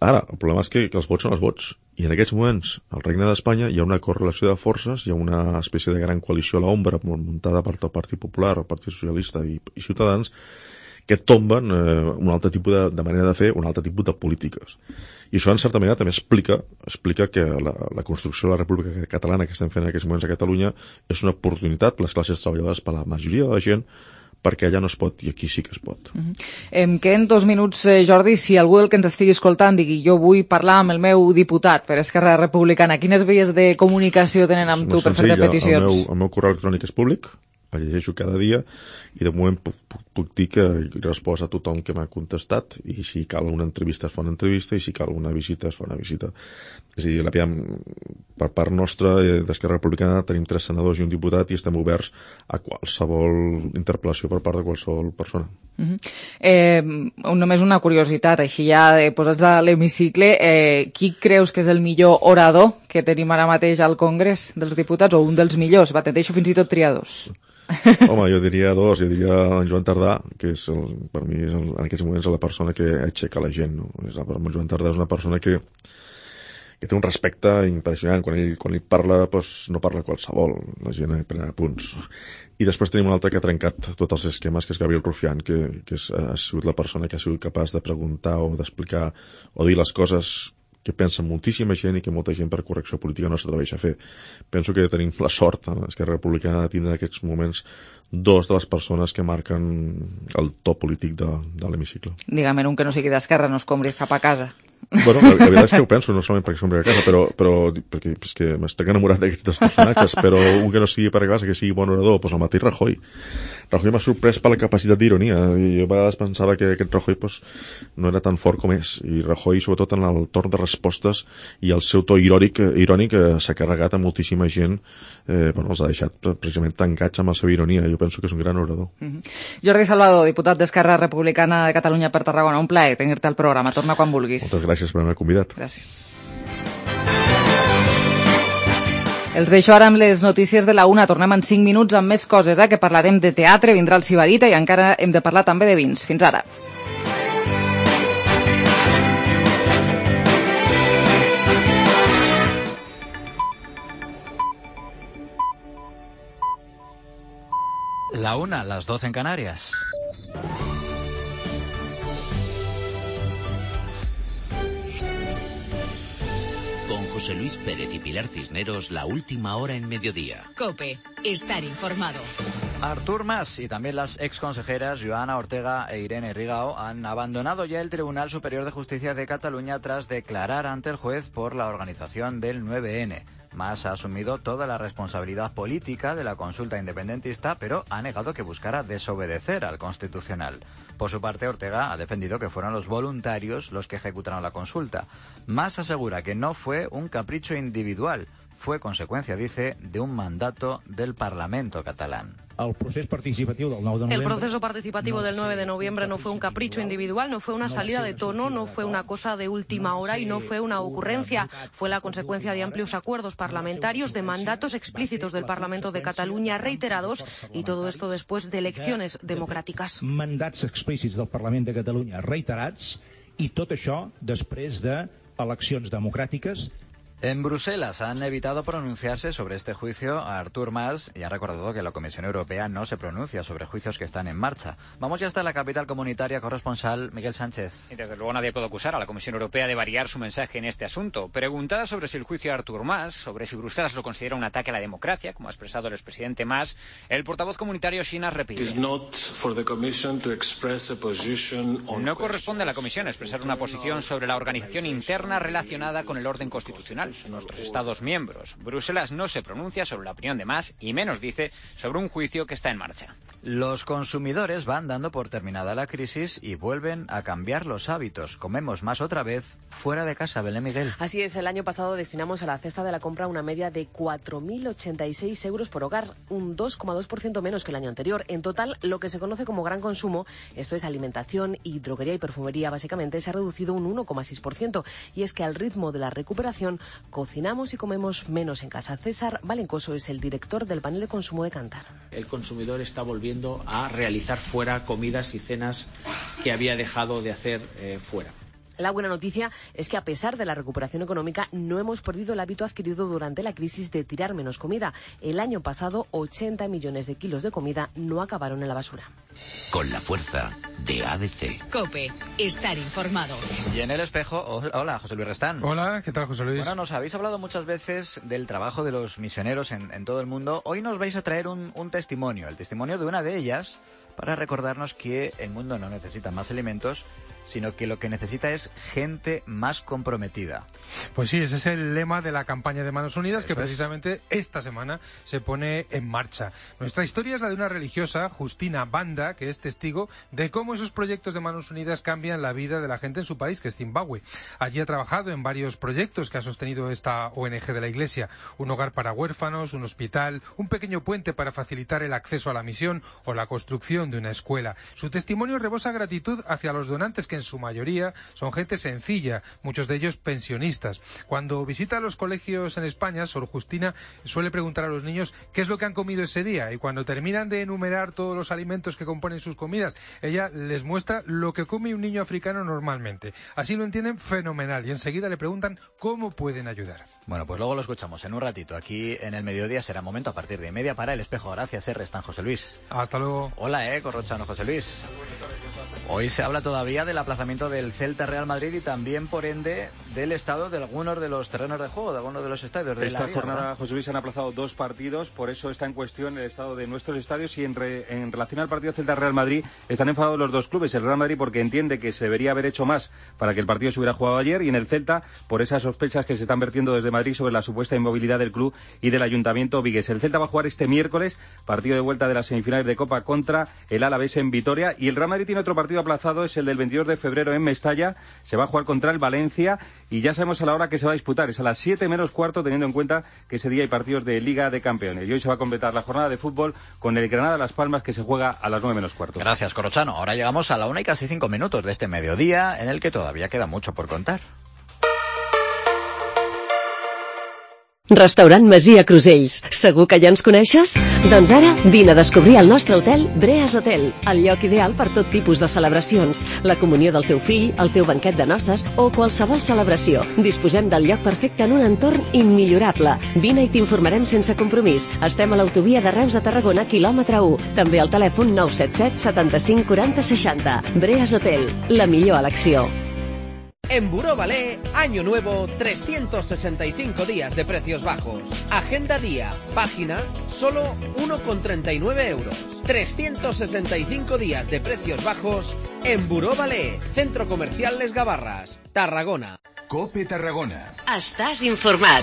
Ara, el problema és que els vots són els vots. I en aquests moments, al Regne d'Espanya, hi ha una correlació de forces, hi ha una espècie de gran coalició a l'ombra muntada per el Partit Popular, el Partit Socialista i Ciutadans, que tomben un altre tipus de manera de fer, un altre tipus de polítiques. I això, en certa manera, també explica que la construcció de la República Catalana que estem fent en aquests moments a Catalunya és una oportunitat per les classes treballadores, per la majoria de la gent, perquè allà no es pot i aquí sí que es pot. Em queden 2 minuts, Jordi. Si algú del que ens estigui escoltant digui jo vull parlar amb el meu diputat per Esquerra Republicana, quines vies de comunicació tenen amb tu per fer-te peticions? El meu correu electrònic és públic, el llegeixo cada dia, i de moment puc dir que respost a tothom que m'ha contestat, i si cal una entrevista es fa una entrevista, i si cal una visita es fa una visita. És a dir, per part nostra d'Esquerra Republicana tenim 3 senadors i un diputat, i estem oberts a qualsevol interpel·lació per part de qualsevol persona. Només una curiositat, així ja posats a l'hemicicle, qui creus que és el millor orador que tenim ara mateix al Congrés dels Diputats, o un dels millors? Va, t'enteixo fins i tot triar 2. Home, jo diria 2, jo diria en Joan Tardà, que és per mi en aquests moments la persona que aixeca la gent, no? En Joan Tardà és una persona que té un respecte impressionant. Quan ell parla, doncs no parla qualsevol, la gent pren apunts. I després tenim un altre que ha trencat tots els esquemes, que és Gabriel Rufián, que ha sigut la persona que ha sigut capaç de preguntar o d'explicar o dir les coses que pensa moltíssima gent i que molta gent per correcció política no s'atreveix a fer. Penso que tenim la sort en Esquerra Republicana de tindre en aquests moments 2 de les persones que marquen el to polític de l'hemicicle. Digue'm, un que no sigui d'Esquerra no es combri cap a casa. Bueno, la veritat és que ho penso, no solament perquè som a casa, però perquè és que m'estic enamorat d'aquests 2 personatges, però un que no sigui per casa, que sigui bon orador, doncs el mateix Rajoy. Rajoy m'ha sorprès per la capacitat d'ironia. Jo a vegades pensava que aquest Rajoy no era tan fort com és, i Rajoy, sobretot en el torn de respostes i el seu to irònic s'ha carregat a moltíssima gent, els ha deixat precisament tancats amb la seva ironia. Jo penso que és un gran orador. Jordi Salvador, diputat d'Esquerra Republicana de Catalunya per Tarragona, un plaer tenir-te al programa. Torna quan vulguis. Moltes gràcies per haver-me convidat. Gràcies. Els deixo ara amb les notícies de la 1. Tornem en 5 minuts amb més coses, que parlarem de teatre, vindrà el Sibarita i encara hem de parlar també de vins. Fins ara. La 1, las 12 en Canarias. Con José Luis Pérez y Pilar Cisneros, la última hora en mediodía. COPE, estar informado. Artur Mas y también las exconsejeras Joana Ortega e Irene Rigao han abandonado ya el Tribunal Superior de Justicia de Cataluña tras declarar ante el juez por la organización del 9N. Mas ha asumido toda la responsabilidad política de la consulta independentista, pero ha negado que buscara desobedecer al Constitucional. Por su parte, Ortega ha defendido que fueron los voluntarios los que ejecutaron la consulta. Mas asegura que no fue un capricho individual, fue consecuencia, dice, de un mandato del Parlamento catalán. El proceso participativo del 9 de noviembre. El proceso participativo del 9 de noviembre no fue un capricho individual, no fue una salida de tono, no fue una cosa de última hora y no fue una ocurrencia. Fue la consecuencia de amplios acuerdos parlamentarios, de mandatos explícitos del Parlamento de Cataluña reiterados, y todo esto después de elecciones democràtiques. Mandats explícits del Parlament de Catalunya reiterats, i tot això després de eleccions democràtiques. En Bruselas han evitado pronunciarse sobre este juicio a Artur Mas y han recordado que la Comisión Europea no se pronuncia sobre juicios que están en marcha. Vamos ya hasta la capital comunitaria, corresponsal Miguel Sánchez. Y desde luego nadie puede acusar a la Comisión Europea de variar su mensaje en este asunto. Preguntada sobre si el juicio a Artur Mas, sobre si Bruselas lo considera un ataque a la democracia, como ha expresado el expresidente Mas, el portavoz comunitario Schinas repite: no corresponde a la Comisión expresar una posición sobre la organización interna relacionada con el orden constitucional de nuestros Estados miembros. Bruselas no se pronuncia sobre la opinión de Mas y menos dice sobre un juicio que está en marcha. Los consumidores van dando por terminada la crisis y vuelven a cambiar los hábitos. Comemos más otra vez fuera de casa, Belén Miguel. Así es, el año pasado destinamos a la cesta de la compra una media de 4.086 euros por hogar, un 2,2% menos que el año anterior. En total, lo que se conoce como gran consumo, esto es alimentación y droguería y perfumería básicamente, se ha reducido un 1,6%. Y es que al ritmo de la recuperación cocinamos y comemos menos en casa. César Valencoso es el director del panel de consumo de Kantar. El consumidor está volviendo a realizar fuera comidas y cenas que había dejado de hacer fuera. La buena noticia es que a pesar de la recuperación económica no hemos perdido el hábito adquirido durante la crisis de tirar menos comida. El año pasado 80 millones de kilos de comida no acabaron en la basura. Con la fuerza de ABC. COPE, estar informado. Y en El Espejo, hola, José Luis Restán. Hola, ¿qué tal, José Luis? Bueno, nos habéis hablado muchas veces del trabajo de los misioneros en todo el mundo. Hoy nos vais a traer un testimonio, el testimonio de una de ellas, para recordarnos que el mundo no necesita más alimentos, sino que lo que necesita es gente más comprometida. Pues sí, ese es el lema de la campaña de Manos Unidas, que precisamente esta semana se pone en marcha. Nuestra historia es la de una religiosa, Justina Banda, que es testigo de cómo esos proyectos de Manos Unidas cambian la vida de la gente en su país, que es Zimbabue. Allí ha trabajado en varios proyectos que ha sostenido esta ONG de la Iglesia: un hogar para huérfanos, un hospital, un pequeño puente para facilitar el acceso a la misión o la construcción de una escuela. Su testimonio rebosa gratitud hacia los donantes, que en su mayoría son gente sencilla, muchos de ellos pensionistas. Cuando visita los colegios en España, Sor Justina suele preguntar a los niños qué es lo que han comido ese día, y cuando terminan de enumerar todos los alimentos que componen sus comidas, ella les muestra lo que come un niño africano normalmente. Así lo entienden fenomenal y enseguida le preguntan cómo pueden ayudar. Bueno, pues luego lo escuchamos en un ratito. Aquí en el mediodía será momento a partir de 1:30 para El Espejo. Gracias, Restán, José Luis. Hasta luego. Hola, Corrochano, José Luis. Hoy se habla todavía del aplazamiento del Celta-Real Madrid y también, por ende, del estado de algunos de los terrenos de juego, de algunos de los estadios de Esta la Liga, jornada, ¿verdad? José Luis, han aplazado 2 partidos, por eso está en cuestión el estado de nuestros estadios y en relación al partido Celta-Real Madrid están enfadados los dos clubes. El Real Madrid porque entiende que se debería haber hecho más para que el partido se hubiera jugado ayer, y en el Celta por esas sospechas que se están vertiendo desde Madrid sobre la supuesta inmovilidad del club y del Ayuntamiento vigués. El Celta va a jugar este miércoles, partido de vuelta de las semifinales de Copa contra el Alavés en Vitoria, y el Real Madrid tiene otro partido aplazado, es el del 22 de febrero en Mestalla. Se va a jugar contra el Valencia y ya sabemos a la hora que se va a disputar, es a las 7 menos cuarto, teniendo en cuenta que ese día hay partidos de Liga de Campeones, y hoy se va a completar la jornada de fútbol con el Granada Las Palmas, que se juega a las 9 menos cuarto. Gracias, Corrochano. Ahora llegamos a la 1 y casi 5 minutos de este mediodía, en el que todavía queda mucho por contar. Restaurant Masia Crusells. Segur que ja ens coneixes? Doncs ara vine a descobrir el nostre hotel Breas Hotel, el lloc ideal per tot tipus de celebracions, la comunió del teu fill, el teu banquet de noces o qualsevol celebració. Disposem del lloc perfecte en un entorn immillorable. Vine i t'informarem sense compromís. Estem a l'autovia de Reus a Tarragona, quilòmetre 1. També al telèfon 977 75 40 60. Breas Hotel, la millor elecció. En Buró Ballet, año nuevo, 365 días de precios bajos. Agenda día, página, solo 1,39 euros. 365 días de precios bajos en Buró Ballet, Centro Comercial Les Gavarras, Tarragona. COPE Tarragona. Estàs informat.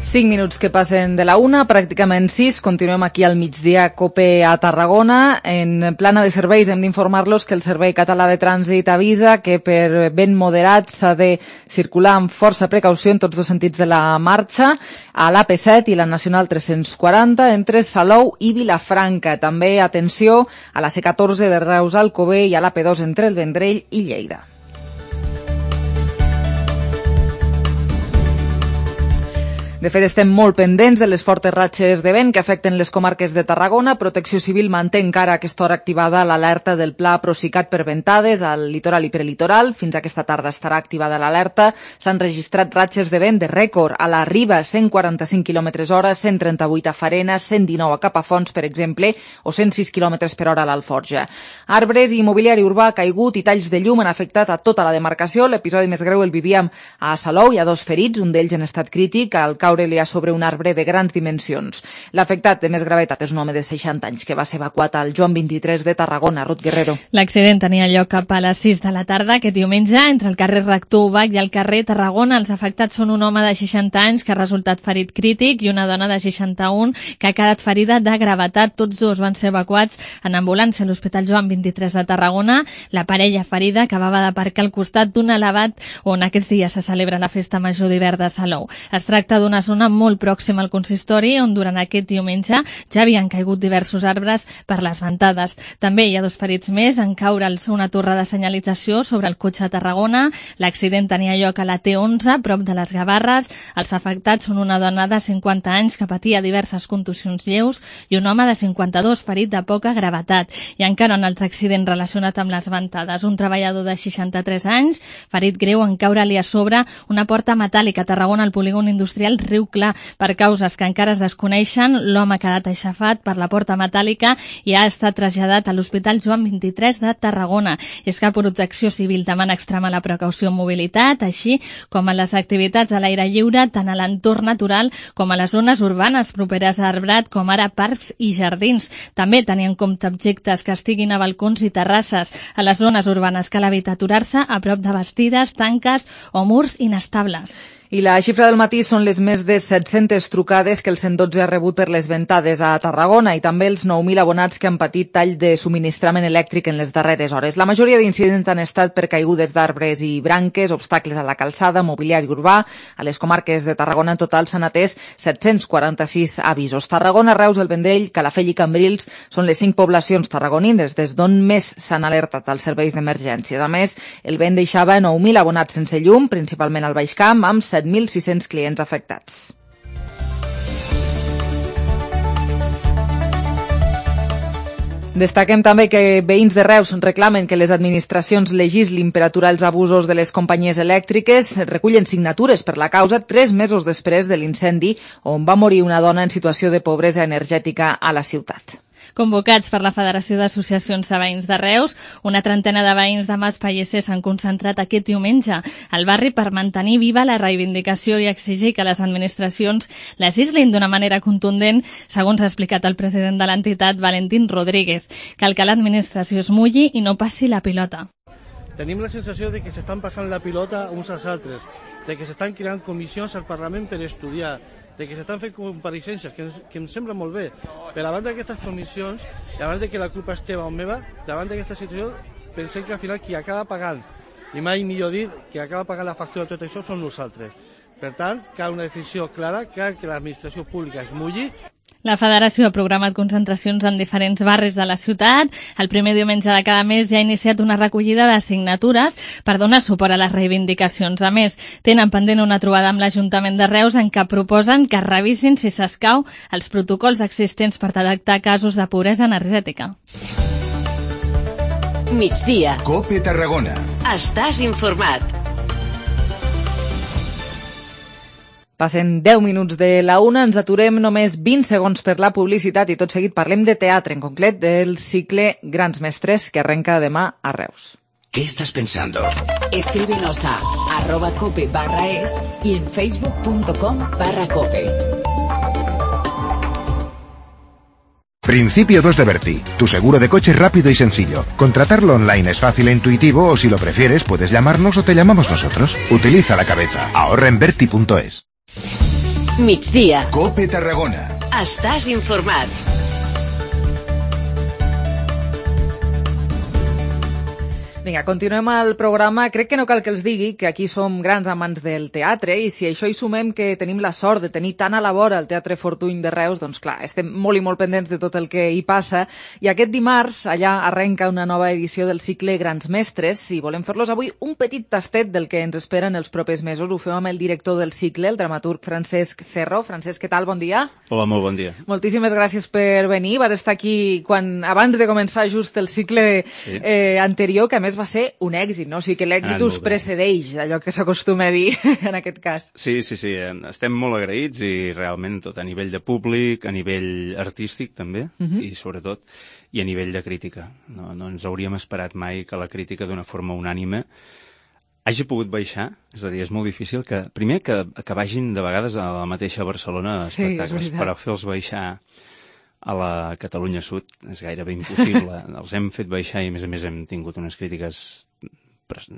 Cinc minuts que passen de la 1, pràcticament 6. Continuem aquí al migdia COPE a Tarragona. En plana de serveis hem d'informar-los que el Servei Català de Trànsit avisa que per vent moderat s'ha de circular amb força precaució en tots dos sentits de la marxa, a l'AP7 i la Nacional 340 entre Salou i Vilafranca. També atenció a la C14 de Reus a Alcover i a l'AP2 entre el Vendrell i Lleida. De fet, estem molt pendents de les fortes ratxes de vent que afecten les comarques de Tarragona. Protecció Civil manté encara a aquesta hora activada l'alerta del Pla Procicat per ventades al litoral i prelitoral. Fins aquesta tarda estarà activada l'alerta. S'han registrat ratxes de vent de rècord a la Riba, 145 km/h, 138 a Farena, 119 a Capafonts, per exemple, o 106 km per hora a l'Alforja. Arbres i mobiliari urbà caigut i talls de llum han afectat a tota la demarcació. L'episodi més greu el vivíem a Salou. Hi ha 2 ferits, un d'ells en estat crític, al caure-li a sobre un arbre de grans dimensions. L'afectat de més gravetat és un home de 60 anys que va ser evacuat al Joan 23 de Tarragona. Ruth Guerrero. L'accident tenia lloc cap a les 6 de la tarda aquest diumenge entre el carrer Rector Ubach i el carrer Tarragona. Els afectats són un home de 60 anys que ha resultat ferit crític i una dona de 61 que ha quedat ferida de gravetat. Tots dos van ser evacuats en ambulància a l'Hospital Joan 23 de Tarragona. La parella ferida acabava d'aparcar al costat d'un elevat on aquests dies se celebra la Festa Major d'hivern de Salou. Es tracta d'una zona molt pròxima al consistori, on durant aquest diumenge ja havien caigut diversos arbres per les ventades. També hi ha 2 ferits més en caure'ls una torre de senyalització sobre el cotxe a Tarragona. L'accident tenia lloc a la T11, prop de les Gavarres. Els afectats són una dona de 50 anys que patia diverses contusions lleus i un home de 52 ferit de poca gravetat. I encara un altre accident relacionat amb les ventades. Un treballador de 63 anys, ferit greu en caure-li a sobre una porta metàl·lica a Tarragona al polígon industrial Riu Clar. Per causes que encara es desconeixen, l'home ha quedat aixafat per la porta metàl·lica i ha estat traslladat a l'Hospital Joan 23 de Tarragona. I és que Protecció Civil demana extremar la precaució en mobilitat, així com a les activitats a l'aire lliure, tant a l'entorn natural com a les zones urbanes properes a arbrat, com ara parcs i jardins. També tenir en compte objectes que estiguin a balcons i terrasses. A les zones urbanes cal evitar aturar-se a prop de bastides, tanques o murs inestables. I la xifra del matí són les més de 700 trucades que el 112 ha rebut per les ventades a Tarragona i també els 9.000 abonats que han patit tall de subministrament elèctric en les darreres hores. La majoria d'incidents han estat per caigudes d'arbres i branques, obstacles a la calçada, mobiliari urbà. A les comarques de Tarragona en total s'han atès 746 avisos. Tarragona, Reus, el Vendrell, Calafell i Cambrils són les 5 poblacions tarragonines des d'on més s'han alertat als serveis d'emergència. A més, el vent deixava 9.000 abonats sense llum, principalment al Baix Camp, amb 7.600 clients afectats. Destaquem també que veïns de Reus reclamen que les administracions legislin per aturar els abusos de les companyies elèctriques. Recullen signatures per la causa 3 mesos després de l'incendi on va morir una dona en situació de pobresa energètica a la ciutat. Convocats per la Federació d'Associacions de Veïns de Reus, una trentena de veïns de Mas Pellicer s'han concentrat aquest diumenge al barri per mantenir viva la reivindicació i exigir que les administracions legislin d'una manera contundent, segons ha explicat el president de l'entitat, Valentín Rodríguez. Cal que l'administració es mulli i no passi la pilota. Tenim la sensació de que s'estan passant la pilota uns als altres, de que s'estan creant comissions al Parlament per estudiar, de que s'estan fent compareixences, que em sembla molt bé. Però davant d'aquestes comissions, davant de que la culpa és teva o meva, davant d'aquesta situació, pensem que al final qui acaba pagant, i mai millor dir, qui acaba pagant la factura de tot això són nosaltres. Per tant, cal una decisió clara, cal que l'administració pública es mulli. La Federació ha programat concentracions en diferents barris de la ciutat. El primer diumenge de cada mes ja ha iniciat una recollida de signatures per donar suport a les reivindicacions. A més, tenen pendent una trobada amb l'Ajuntament de Reus en què proposen que revisin, si s'escau, els protocols existents per detectar casos de pobresa energètica. Migdia. COPE Tarragona. Estàs informat. Passen 10 minuts de la 1, ens aturem només 20 segons per la publicitat i tot seguit parlem de teatre, en concret del cicle Grans Mestres que arrenca demà a Reus. ¿Qué estás pensando? Escríbenos a @cope.es y en facebook.com/cope. Principio 2 de Berti, tu seguro de coche rápido y sencillo. Contratarlo online es fácil e intuitivo o si lo prefieres puedes llamarnos o te llamamos nosotros. Utiliza la cabeza. Ahorra en berti.es. Migdia. COPE Tarragona. Estàs informat. Vinga, continuem el programa. Crec que no cal que els digui que aquí som grans amants del teatre i si això hi sumem que tenim la sort de tenir tan a la vora el Teatre Fortuny de Reus, doncs clar, estem molt i molt pendents de tot el que hi passa. I aquest dimarts allà arrenca una nova edició del cicle Grans Mestres i volem fer-los avui un petit tastet del que ens espera en els propers mesos. Ho fem amb el director del cicle, el dramaturg Francesc Cerro. Francesc, què tal? Bon dia. Hola, molt bon dia. Moltíssimes gràcies per venir. Vas estar aquí abans de començar just el cicle anterior, que a més va ser un èxit, no? O sigui que l'èxit us precedeix, allò que s'acostuma a dir en aquest cas. Sí. Estem molt agraïts i realment tot a nivell de públic, a nivell artístic també, i sobretot, i a nivell de crítica. No ens hauríem esperat mai que la crítica d'una forma unànime hagi pogut baixar, és a dir, és molt difícil que, primer, que vagin de vegades a la mateixa Barcelona espectacles, però fer-los baixar a la Catalunya Sud és gairebé impossible. Els hem fet baixar i, a més, hem tingut unes crítiques,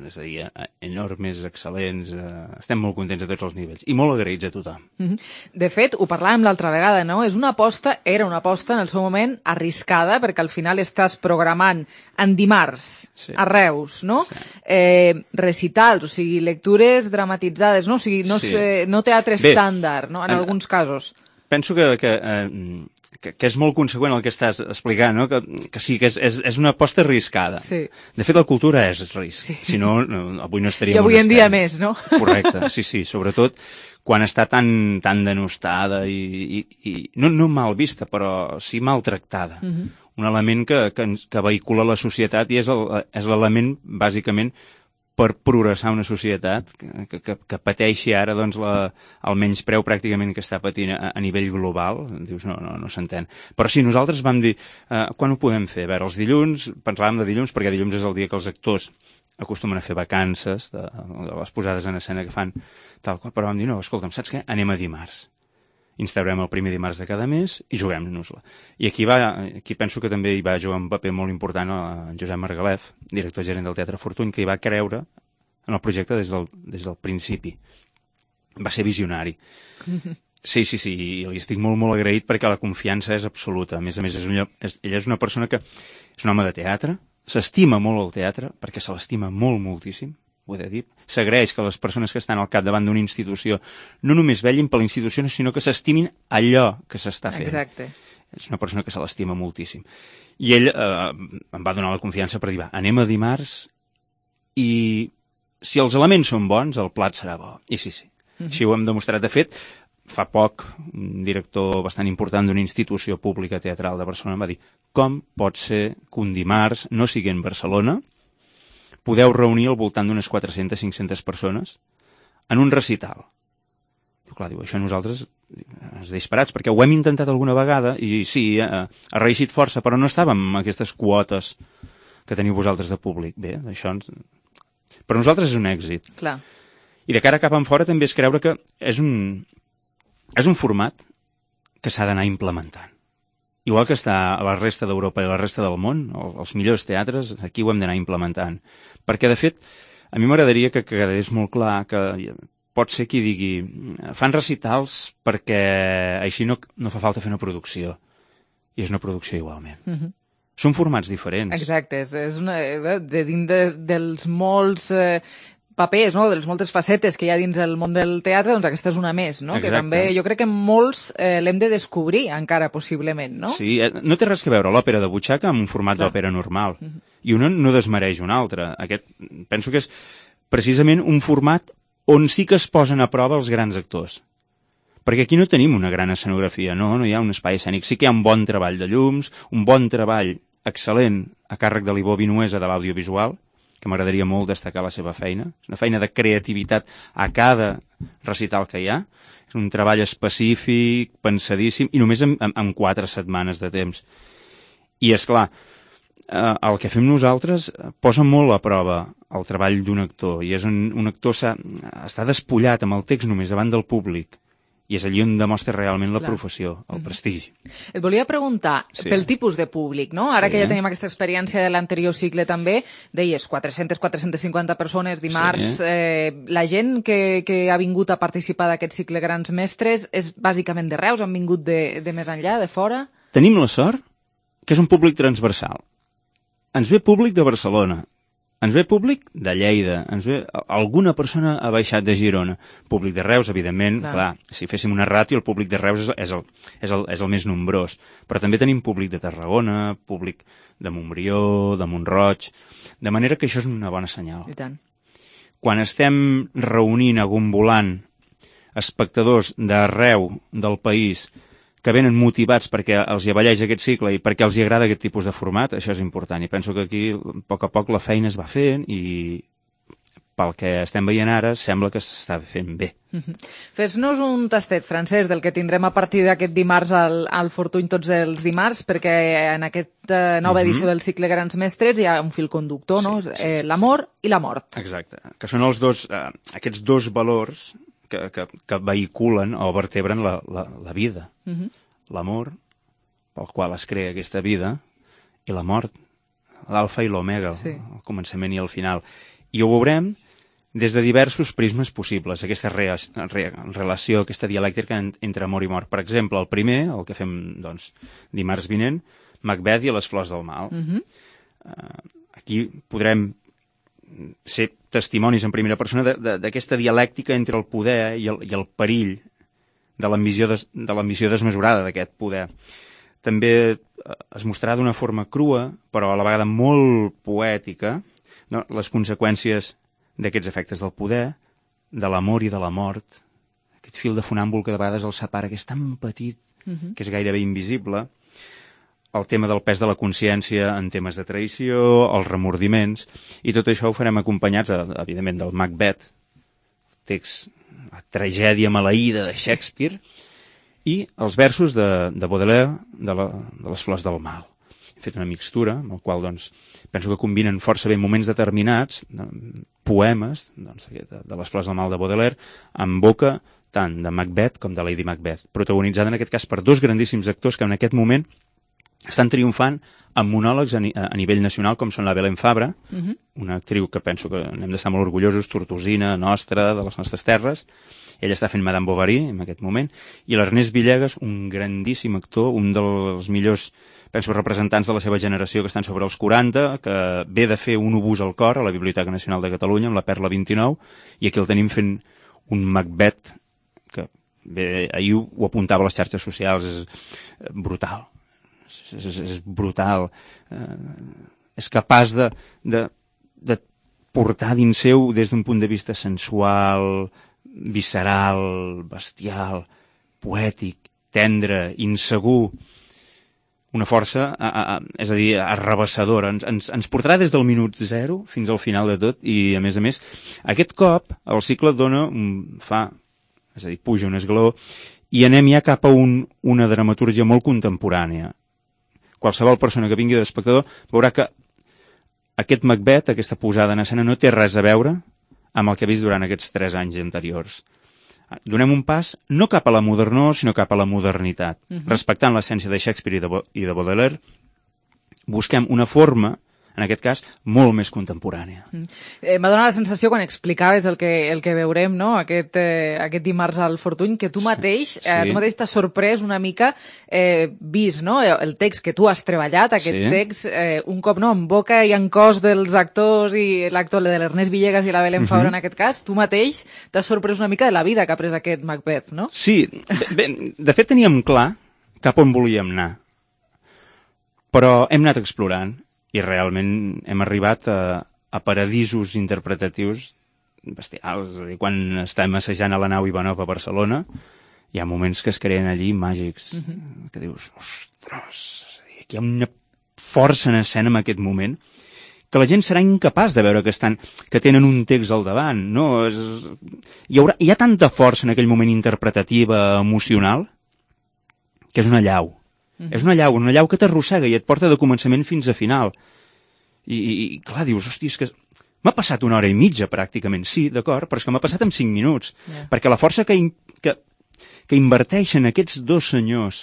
és a dir, enormes, excel·lents. Estem molt contents a tots els nivells i molt agraïts a tothom. De fet, ho parlàvem l'altra vegada, no? Era una aposta en el seu moment arriscada perquè al final estàs programant en dimarts a Reus, no? Recitals, o sigui, lectures dramatitzades, no? O sigui, no teatre estàndard, no? En alguns casos. Penso que és molt conseqüent el que estàs explicant, no? Que sí, que és una aposta arriscada. Sí. De fet, la cultura és risc. Sí. Si no, avui no estaríem... I avui en dia més, no? Correcte, sí. Sobretot quan està tan denostada i no mal vista, però sí maltractada. Un element que vehicula la societat i és l'element, bàsicament, per progressar una societat que pateixi ara doncs, el menyspreu pràcticament que està patint a nivell global. Dius, no s'entén. Però sí, nosaltres vam dir, quan ho podem fer? A veure, els dilluns, pensàvem de dilluns, perquè dilluns és el dia que els actors acostumen a fer vacances de les posades en escena que fan, tal qual, però vam dir, no, escolta'm, saps què? Anem a dimarts. Instaurem el primer dimarts de cada mes i juguem-nos-la. I aquí penso que també hi va jugar un paper molt important en Josep Margalef, director gerent del Teatre Fortuny, que hi va creure en el projecte des del principi. Va ser visionari. Sí, i li estic molt, molt agraït perquè la confiança és absoluta. A més, ella és una persona que és un home de teatre, s'estima molt el teatre, perquè se l'estima molt, moltíssim, ho he de dir. S'agraeix que les persones que estan al capdavant d'una institució no només vellin per la institució, sinó que s'estimin allò que s'està fent. Exacte. És una persona que se l'estima moltíssim. I ell em va donar la confiança per dir, anem a dimarts i si els elements són bons, el plat serà bo. I sí. Així ho hem demostrat. De fet, fa poc, un director bastant important d'una institució pública teatral de Barcelona em va dir: com pot ser que un dimarts no sigui en Barcelona podeu reunir al voltant d'unes 400-500 persones en un recital? Diu, clar, això nosaltres ens disparats, perquè ho hem intentat alguna vegada i sí, ha reeixit força, però no estàvem amb aquestes quotes que teniu vosaltres de públic. Bé, això per nosaltres és un èxit. Clar. I de cara cap enfora també és creure que és un format que s'ha d'anar implementant. Igual que està a la resta d'Europa i a la resta del món, els millors teatres, aquí ho hem d'anar implementant. Perquè, de fet, a mi m'agradaria que quedés molt clar que pot ser qui digui fan recitals perquè així no fa falta fer una producció. I és una producció igualment. Són formats diferents. Exacte, és de dins dels molts papers, no? De les moltes facetes que hi ha dins el món del teatre, doncs aquesta és una més, no? Exacte. Que també jo crec que molts l'hem de descobrir encara, possiblement, no? Sí, no té res que veure l'òpera de butxaca amb un format d'òpera normal. I un no desmereix un altre. Aquest, penso que és precisament un format on sí que es posen a prova els grans actors. Perquè aquí no tenim una gran escenografia, no hi ha un espai escènic. Sí que hi ha un bon treball de llums, un bon treball excel·lent a càrrec de l'Ibó Vinuesa de l'audiovisual, que m'agradaria molt destacar la seva feina. És una feina de creativitat a cada recital que hi ha. És un treball específic, pensadíssim, i només en 4 setmanes de temps. I, és clar, el que fem nosaltres posa molt a prova el treball d'un actor, i és un actor està despullat amb el text només davant del públic, i és allí on demostra realment la professió, el prestigi. Et volia preguntar, pel tipus de públic, no? Ara que ja tenim aquesta experiència de l'anterior cicle també, deies 400-450 persones dimarts. La gent que ha vingut a participar d'aquest cicle Grans Mestres és bàsicament de Reus? Han vingut de més enllà, de fora? Tenim la sort que és un públic transversal. Ens ve públic de Barcelona, ens ve públic de Lleida, alguna persona ha baixat de Girona, públic de Reus, evidentment, clar, si féssim una ràtio, el públic de Reus és el més nombrós, però també tenim públic de Tarragona, públic de Montbrió, de Mont-roig, de manera que això és una bona senyal. I tant. Quan estem reunint, agombolant espectadors d'arreu del país que venen motivats perquè els hi avalleix aquest cicle i perquè els hi agrada aquest tipus de format, això és important. I penso que aquí, a poc la feina es va fent i pel que estem veient ara, sembla que s'està fent bé. Fes-nos un tastet, Francesc, del que tindrem a partir d'aquest dimarts al Fortuny tots els dimarts, perquè en aquesta nova edició del cicle Grans Mestres hi ha un fil conductor, no? L'amor i la mort. Exacte, que són aquests dos valors que vehiculen o vertebren la vida. L'amor, pel qual es crea aquesta vida, i la mort, l'alfa i l'omega, el començament i el final. I ho veurem des de diversos prismes possibles, aquesta relació, aquesta dialèctica entre amor i mort. Per exemple, el primer, el que fem dimarts vinent, Macbeth i les flors del mal. Aquí podrem ser testimonis en primera persona d'aquesta dialèctica entre el poder i el perill de l'ambició desmesurada d'aquest poder. També es mostrarà d'una forma crua, però a la vegada molt poètica, no? Les conseqüències d'aquests efectes del poder, de l'amor i de la mort, aquest fil de funàmbul que de vegades el separa, que és tan petit, que és gairebé invisible, el tema del pes de la consciència en temes de traïció, els remordiments, i tot això ho farem acompanyats, evidentment, del Macbeth, text, la tragèdia maleïda de Shakespeare, i els versos de Baudelaire, de les flors del mal. He fet una mixtura, amb el qual penso que combinen força bé moments determinats, poemes de les flors del mal de Baudelaire, en boca tant de Macbeth com de Lady Macbeth, protagonitzada en aquest cas per 2 grandíssims actors que en aquest moment estan triomfant amb monòlegs a nivell nacional, com són la Belén Fabra, una actriu que penso que n'hem d'estar molt orgullosos, tortosina, nostra, de les nostres terres. Ella està fent Madame Bovary en aquest moment, i l'Ernest Villegas, un grandíssim actor, un dels millors, penso, representants de la seva generació, que estan sobre els 40, que ve de fer un obús al cor a la Biblioteca Nacional de Catalunya, amb la Perla 29, i aquí el tenim fent un Macbeth, que bé, ahir ho apuntava a les xarxes socials, és brutal. És brutal, és capaç de portar dins seu des d'un punt de vista sensual, visceral, bestial, poètic, tendre, insegur, una força, és a dir, arrabassadora. Ens portarà des del minut 0 fins al final de tot i, a més, aquest cop el cicle és a dir, puja un esglaó i anem ja cap a una dramatúrgia molt contemporània. Qualsevol persona que vingui d'espectador veurà que aquest Macbeth, aquesta posada en escena, no té res a veure amb el que ha vist durant aquests 3 anys anteriors. Donem un pas no cap a la modernor, sinó cap a la modernitat. Respectant l'essència de Shakespeare i de Baudelaire, busquem una forma, en aquest cas, molt més contemporània. M'ha donat la sensació, quan explicaves el que veurem, no? aquest dimarts al Fortuny, que tu mateix t'has sorprès una mica vist, no? El text que tu has treballat, text, un cop en boca i en cos dels actors i l'actor de l'Ernest Villegas i la Belén Fabra, en aquest cas, tu mateix t'has sorprès una mica de la vida que ha pres aquest Macbeth, no? Sí, de fet teníem clar cap on volíem anar, però hem anat explorant i realment hem arribat a paradisos interpretatius bestials. És a dir, quan estem assajant a la nau Ivanov a Barcelona, hi ha moments que es creen allí màgics, que dius, ostres, és a dir, aquí hi ha una força en escena en aquest moment que la gent serà incapaç de veure que tenen un text al davant, no? Hi ha tanta força en aquell moment interpretativa, emocional, que és una llau. És una llau que t'arrossega i et porta de començament fins a final. I clar, dius, hosti, és que m'ha passat 1 hora i mitja, pràcticament. Sí, d'acord, però és que m'ha passat en 5 minuts. Perquè la força que inverteixen aquests 2 senyors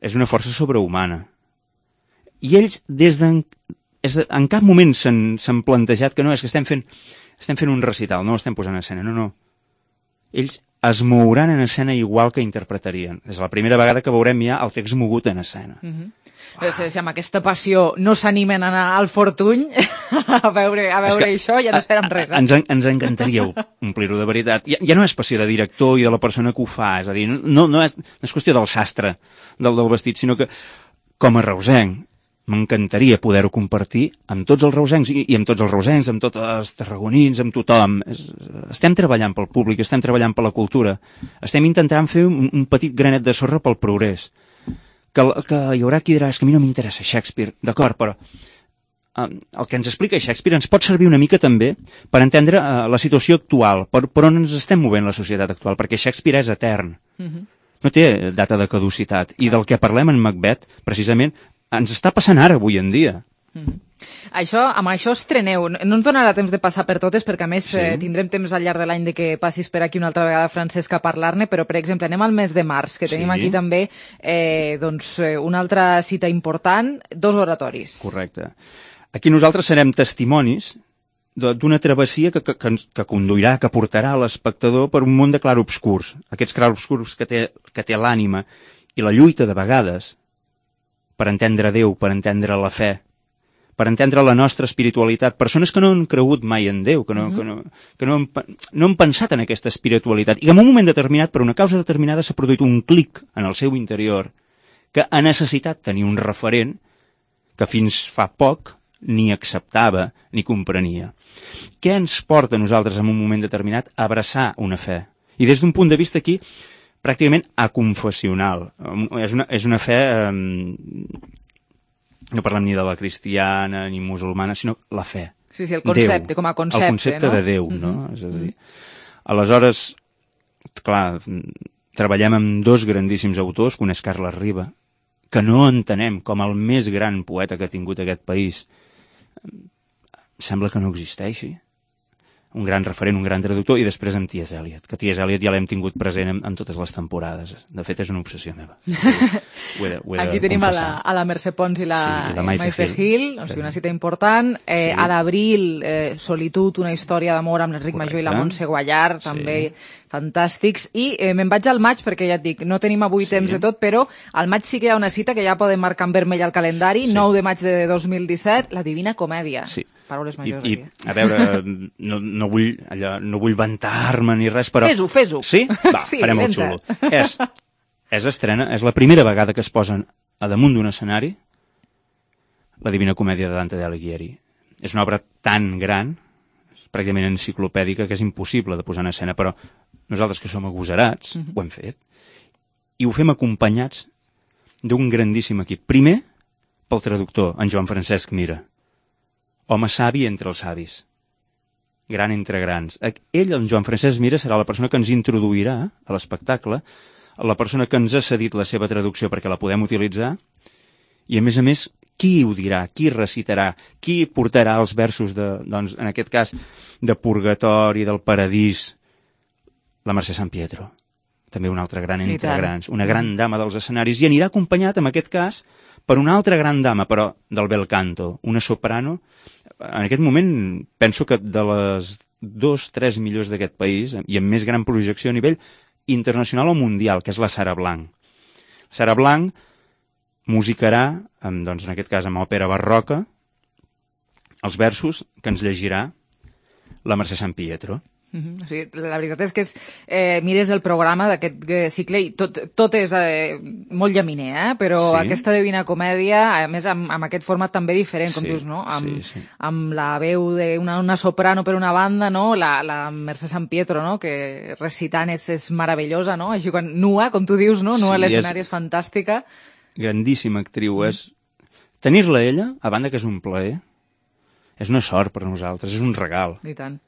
és una força sobrehumana. I ells, en cap moment s'han plantejat que no, és que estem fent un recital, no estem posant en escena, no. Ells es mouran en escena igual que interpretarien. És la primera vegada que veurem ja el text mogut en escena. Si amb aquesta passió no s'animen a anar al Fortuny a veure això, ja no esperem res. Ens encantaria omplir-ho de veritat. Ja no és passió de director i de la persona que ho fa, és a dir, no és qüestió del sastre, del vestit, sinó que com a reusenc m'encantaria poder-ho compartir amb tots els reusencs i amb tots els reusencs, amb tots els tarragonins, amb tothom. Estem treballant pel públic, estem treballant per la cultura, estem intentant fer un petit granet de sorra pel progrés. Que hi haurà qui dirà, és que a mi no m'interessa Shakespeare, d'acord, però el que ens explica Shakespeare ens pot servir una mica també per entendre la situació actual, per on ens estem movent la societat actual, perquè Shakespeare és etern. No té data de caducitat. I del que parlem en Macbeth, precisament, ens està passant ara, avui en dia. Amb això estreneu. No ens donarà temps de passar per totes, perquè a més tindrem temps al llarg de l'any de que passis per aquí una altra vegada, Francesc, a parlar-ne, però, per exemple, anem al mes de març, que tenim aquí també una altra cita important, 2 oratoris. Correcte. Aquí nosaltres serem testimonis d'una travessia que conduirà, que portarà l'espectador per un món de clarobscurs. Aquests clarobscurs que té l'ànima i la lluita de vegades per entendre Déu, per entendre la fe, per entendre la nostra espiritualitat. Persones que no han cregut mai en Déu, que no han pensat en aquesta espiritualitat, i que en un moment determinat, per una causa determinada, s'ha produït un clic en el seu interior, que ha necessitat tenir un referent que fins fa poc ni acceptava ni comprenia. Què ens porta a nosaltres en un moment determinat a abraçar una fe? I des d'un punt de vista aquí, pràcticament aconfessional. És una fe, no parlem ni de la cristiana ni musulmana, sinó la fe. Sí, el concepte, com a concepte. El concepte de Déu, no? És a dir, aleshores, clar, treballem amb 2 grandíssims autors, que un és Carles Riba, que no entenem com el més gran poeta que ha tingut aquest país. Sembla que no existeixi. Un gran referent, un gran traductor, i després amb T.S. Eliot, que T.S. Eliot ja l'hem tingut present en totes les temporades. De fet, és una obsessió meva. Aquí tenim a la Mercè Pons i la Maife Hill, o sigui, una cita important. A l'abril, Solitud, una història d'amor amb l'Enric Major i la Montse Guallar, també fantàstics. I me'n vaig al maig, perquè ja et dic, no tenim avui temps de tot, però al maig sí que hi ha una cita que ja podem marcar en vermell al calendari, 9 de maig de 2017, La Divina Comèdia. Sí. Paraules majors. I a veure, no vull vantar-me ni res, però... Fes-ho. Sí? Va, farem el xulo. És estrena, és la primera vegada que es posen a damunt d'un escenari La Divina Comèdia de Dante Alighieri. És una obra tan gran, pràcticament enciclopèdica que és impossible de posar en escena, però nosaltres que som agosarats ho hem fet i ho fem acompanyats d'un grandíssim equip. Primer, pel traductor, en Joan Francesc Mira, home savi entre els savis, gran entre grans. Ell, en Joan Francesc Mira, serà la persona que ens introduirà a l'espectacle, la persona que ens ha cedit la seva traducció perquè la podem utilitzar, i a més, qui ho dirà, qui recitarà, qui portarà els versos, doncs, en aquest cas, de Purgatori, del Paradís, la Mercè Sampietro, també una altra gran entre grans, una gran dama dels escenaris, i anirà acompanyat, en aquest cas, per una altra gran dama, però del bel canto, una soprano. En aquest moment penso que de les 2-3 millors d'aquest país, i amb més gran projecció a nivell internacional o mundial, que és la Sara Blanc. Sara Blanc musicarà, doncs en aquest cas amb òpera barroca, els versos que ens llegirà la Mercè Sampietro. O sigui, la veritat és que mires el programa d'aquest cicle i tot és molt llaminer, però aquesta Divina Comèdia, a més amb aquest format també diferent, com dius, no? Amb la veu d'una soprano per una banda, no? La Mercè Sampietro, no? Que recitant és meravellosa, no? Així quan nua, com tu dius, no? Nua a l'escenari és fantàstica. Grandíssima actriu, tenir-la ella, a banda que és un plaer, és una sort per nosaltres, és un regal. I tant.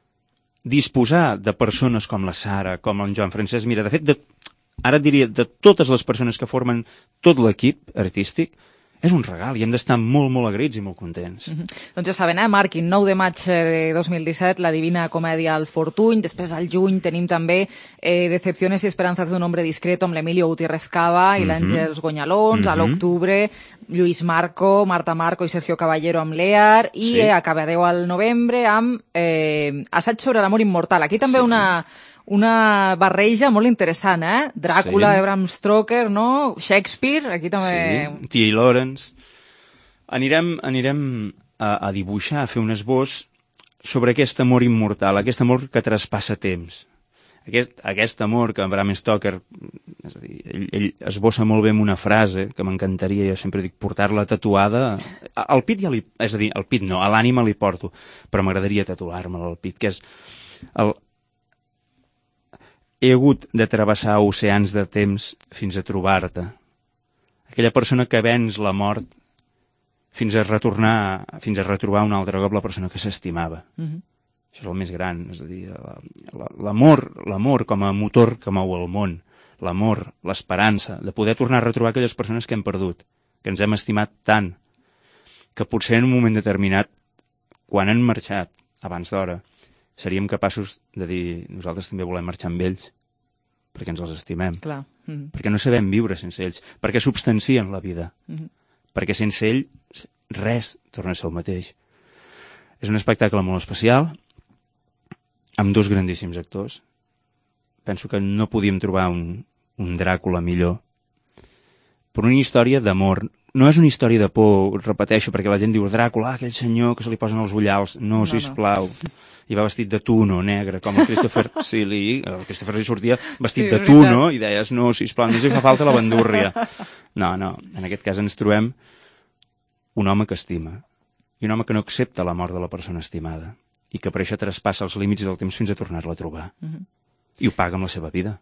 Disposar de persones com la Sara, com en Joan Francesc Mira, de fet, ara et diria, de totes les persones que formen tot l'equip artístic, és un regal i hem d'estar molt, molt agraïts i molt contents. Doncs ja saben, marquin 9 de maig de 2017, la Divina Comèdia al Fortuny, després al juny tenim també Decepciones y esperanzas de un hombre discreto amb l'Emilio Gutiérrez Cava i l'Àngels Gonyalons, a l'octubre Lluís Marco, Marta Marco i Sergio Caballero amb l'EAR, i acabareu al novembre amb Assaig sobre l'amor immortal. Aquí també una barreja molt interessant, Dràcula de Bram Stoker, no? Shakespeare, aquí també... Sí, T.A. Lawrence. Anirem a dibuixar, a fer un esbós sobre aquest amor immortal, aquest amor que traspassa temps. Aquest amor que Bram Stoker, és a dir, ell esbossa molt bé amb una frase que m'encantaria, jo sempre dic, portar-la tatuada. Al pit ja és a dir, al pit no, a l'ànima li porto, però m'agradaria tatuar-me-la al pit, que és he hagut de travessar oceans de temps fins a trobar-te. Aquella persona que venç la mort fins a retrobar un altre cop la persona que s'estimava. Això és el més gran, és a dir, l'amor com a motor que mou el món, l'amor, l'esperança, de poder tornar a retrobar aquelles persones que hem perdut, que ens hem estimat tant, que potser en un moment determinat, quan han marxat, abans d'hora, seríem capaços de dir, nosaltres també volem marxar amb ells, perquè ens els estimem. Clar. Perquè no sabem viure sense ells, perquè substancien la vida, perquè sense ells res torna a ser el mateix. És un espectacle molt especial, amb dos grandíssims actors. Penso que no podíem trobar un Dràcula millor. Per una història d'amor. No és una història de por, repeteixo, perquè la gent diu Dràcula, aquell senyor que se li posen els ullals. No, sisplau. I va vestit de tuno, negre, com el Christopher Lee. El Christopher Lee sortia vestit de tuno i deies, no, sisplau, no ens hi fa falta la bandúrria. No, en aquest cas ens trobem un home que estima i un home que no accepta la mort de la persona estimada i que per això traspassa els límits del temps fins a tornar-la a trobar. I ho paga amb la seva vida.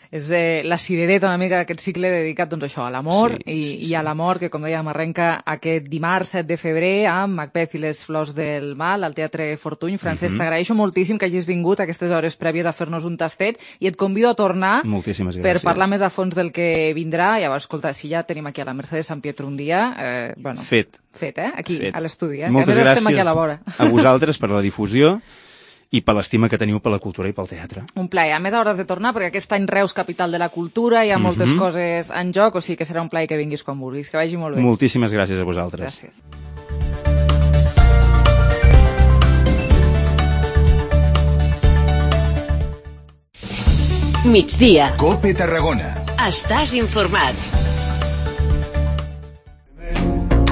És la cirereta una mica d'aquest cicle dedicat doncs, això, a l'amor i a l'amor, que com dèiem arrenca aquest dimarts 7 de febrer amb Macbeth i les flors del mal al Teatre Fortuny. Francesc, t'agraeixo moltíssim que hagis vingut a aquestes hores prèvies a fer-nos un tastet i et convido a tornar per parlar més a fons del que vindrà. Llavors, escolta, si ja tenim aquí a la Mercè Sampietro un dia... Fet, aquí, a l'estudi. Moltes gràcies a vosaltres per la difusió i per l'estima que teniu per la cultura i pel teatre. Un plaer. A més, hauràs de tornar, perquè aquest any Reus, capital de la cultura, hi ha moltes coses en joc, o sigui que serà un plaer que vinguis quan vulguis. Que vagi molt bé. Moltíssimes gràcies a vosaltres. Gràcies. Migdia. COPE Tarragona. Estàs informat.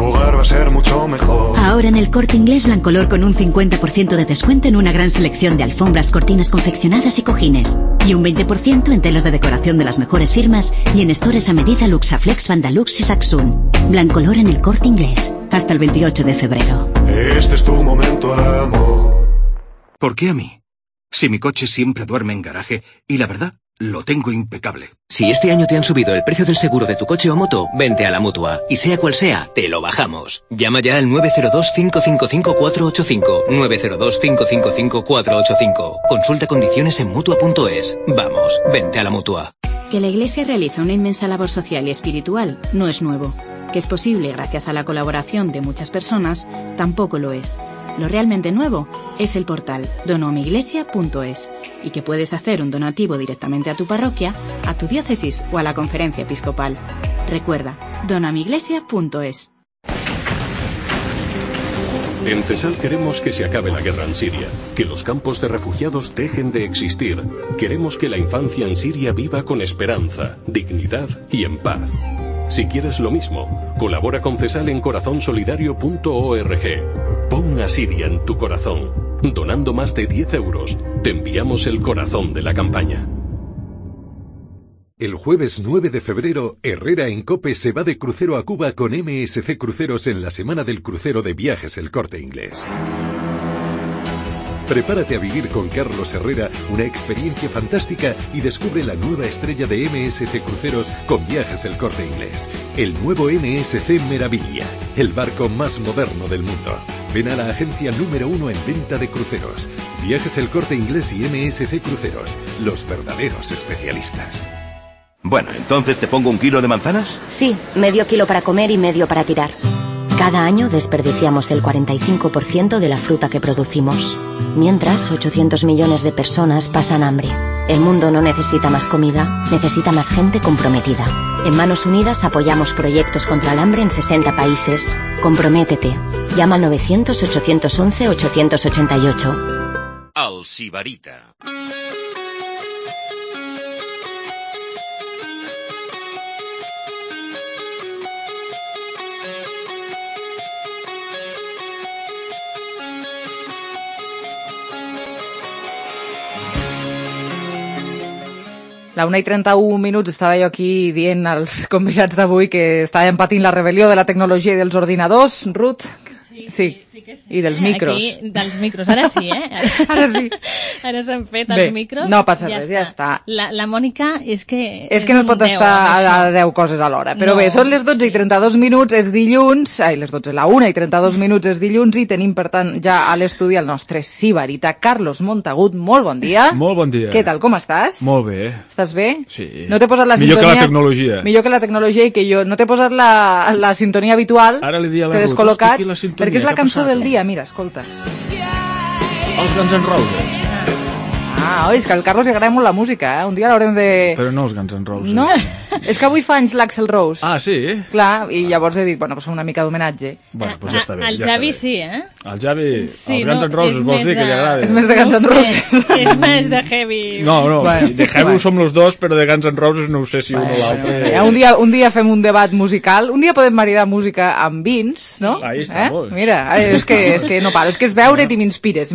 Va a ser mucho mejor. Ahora en el Corte Inglés Blancolor con un 50% de descuento en una gran selección de alfombras, cortinas confeccionadas y cojines. Y un 20% en telas de decoración de las mejores firmas y en stores a medida Luxaflex, Vandalux y Saxun. Blancolor en el Corte Inglés. Hasta el 28 de febrero. Este es tu momento, amor. ¿Por qué a mí? Si mi coche siempre duerme en garaje y la verdad, lo tengo impecable. Si este año te han subido el precio del seguro de tu coche o moto, vente a la Mutua. Y sea cual sea, te lo bajamos. Llama ya al 902-555-485. 902-555-485. Consulta condiciones en Mutua.es. Vamos, vente a la Mutua. Que la Iglesia realiza una inmensa labor social y espiritual no es nuevo. Que es posible gracias a la colaboración de muchas personas, tampoco lo es. Lo realmente nuevo es el portal donoamiglesia.es y que puedes hacer un donativo directamente a tu parroquia, a tu diócesis o a la conferencia episcopal. Recuerda, donoamiglesia.es. En CESAL queremos que se acabe la guerra en Siria, que los campos de refugiados dejen de existir. Queremos que la infancia en Siria viva con esperanza, dignidad y en paz. Si quieres lo mismo, colabora con CESAL en corazonsolidario.org. Pon a Siria en tu corazón. Donando más de 10 euros, te enviamos el corazón de la campaña. El jueves 9 de febrero, Herrera en COPE se va de crucero a Cuba con MSC Cruceros en la Semana del Crucero de Viajes El Corte Inglés. Prepárate a vivir con Carlos Herrera una experiencia fantástica y descubre la nueva estrella de MSC Cruceros con Viajes El Corte Inglés. El nuevo MSC Meraviglia, el barco más moderno del mundo. Ven a la agencia número 1 en venta de cruceros. Viajes El Corte Inglés y MSC Cruceros, los verdaderos especialistas. Bueno, ¿entonces te pongo 1 kilo de manzanas? Sí, medio kilo para comer y medio para tirar. Cada año desperdiciamos el 45% de la fruta que producimos. Mientras, 800 millones de personas pasan hambre. El mundo no necesita más comida, necesita más gente comprometida. En Manos Unidas apoyamos proyectos contra el hambre en 60 países. Comprométete. Llama al 900-811-888. Alsibarita. La 1:31, estava jo aquí dient als convidats d'avui que estàvem patint la rebel·lió de la tecnologia i dels ordinadors. Ruth? Sí. I dels micros. Aquí, dels micros. Ara sí, Ara sí. Ara s'han fet els micros. No passa res, ja està. La Mònica és que... És que no es pot estar a 10 coses alhora. Però bé, són les 12:32, és dilluns, les 12, la 1:32 és dilluns i tenim, per tant, ja a l'estudi el nostre sibarita, Carlos Montagut. Molt bon dia. Molt bon dia. Què tal, com estàs? Molt bé. Estàs bé? Sí. No t'he posat la millor sintonia... que la tecnologia. Millor que la tecnologia i que jo. No t'he posat la sintonia habitual. Ara li dia a la Ruth, descol·locat, perquè és la cançó del dia, mira, escolta. Els Guns N' Roses. Oi, és que al Carlos li agrada molt la música, Un dia l'haurem de... Però no els Guns N' Roses. No, és que avui fa anys l'Axl Rose. Ah, sí? Clar, i llavors he dit, bueno, pues una mica d'homenatge. Bueno, pues ja està bé. El Javi sí, El Javi, sí, els Guns N' Roses, vols dir que li agrada? És més de Guns N' Roses. És més de heavy. No, de heavy som los dos, però de Guns N' Roses no ho sé si un o l'altre... Un dia fem un debat musical, un dia podem maridar música amb vins, no? Ahí estamos. Mira, és que no paro, és que és veure't i m'inspires,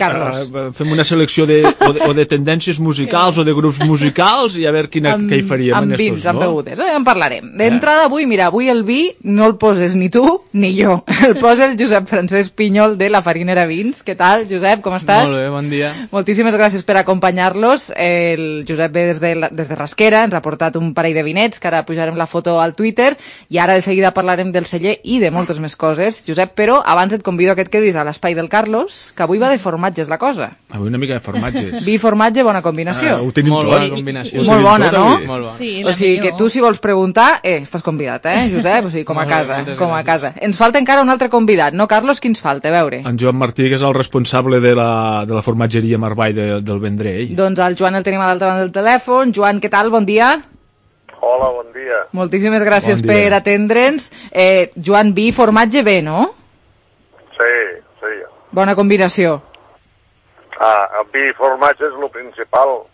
Carlos. Fem una selecció o de tendències musicals o de grups musicals i a veure què hi faríem amb vins, amb begudes, en parlarem. D'entrada avui el vi no el poses ni tu ni jo, el posa el Josep Francesc Pinyol de la Farinera Vins. Què tal, Josep, com estàs? Molt bé, bon dia. Moltíssimes gràcies per acompanyar-los. El Josep ve des de Rasquera, ens ha portat un parell de vinets, que ara pujarem la foto al Twitter, i ara de seguida parlarem del celler i de moltes més coses. Josep, però abans et convido a que et quedis a l'espai del Carlos, que avui va de formatges la cosa. Avui una mica de formatges. Vi i formatge, bona combinació. Ho tenim molt tot. bona combinació. Molt bona, no? Molt bona. Sí, o sigui, que tu si vols preguntar, estàs convidat, Josep? O sigui, com a casa. Ens falta encara un altre convidat, no, Carlos? Qui ens falta? A veure. En Joan Martí, que és el responsable de la formatgeria Marvall del Vendrell. Doncs el Joan el tenim a l'altra banda del telèfon. Joan, què tal? Bon dia. Hola, bon dia. Moltíssimes gràcies per atendre'ns. Joan, vi i formatge bé, no? Sí. Bona combinació. El vi i formatge és el principal.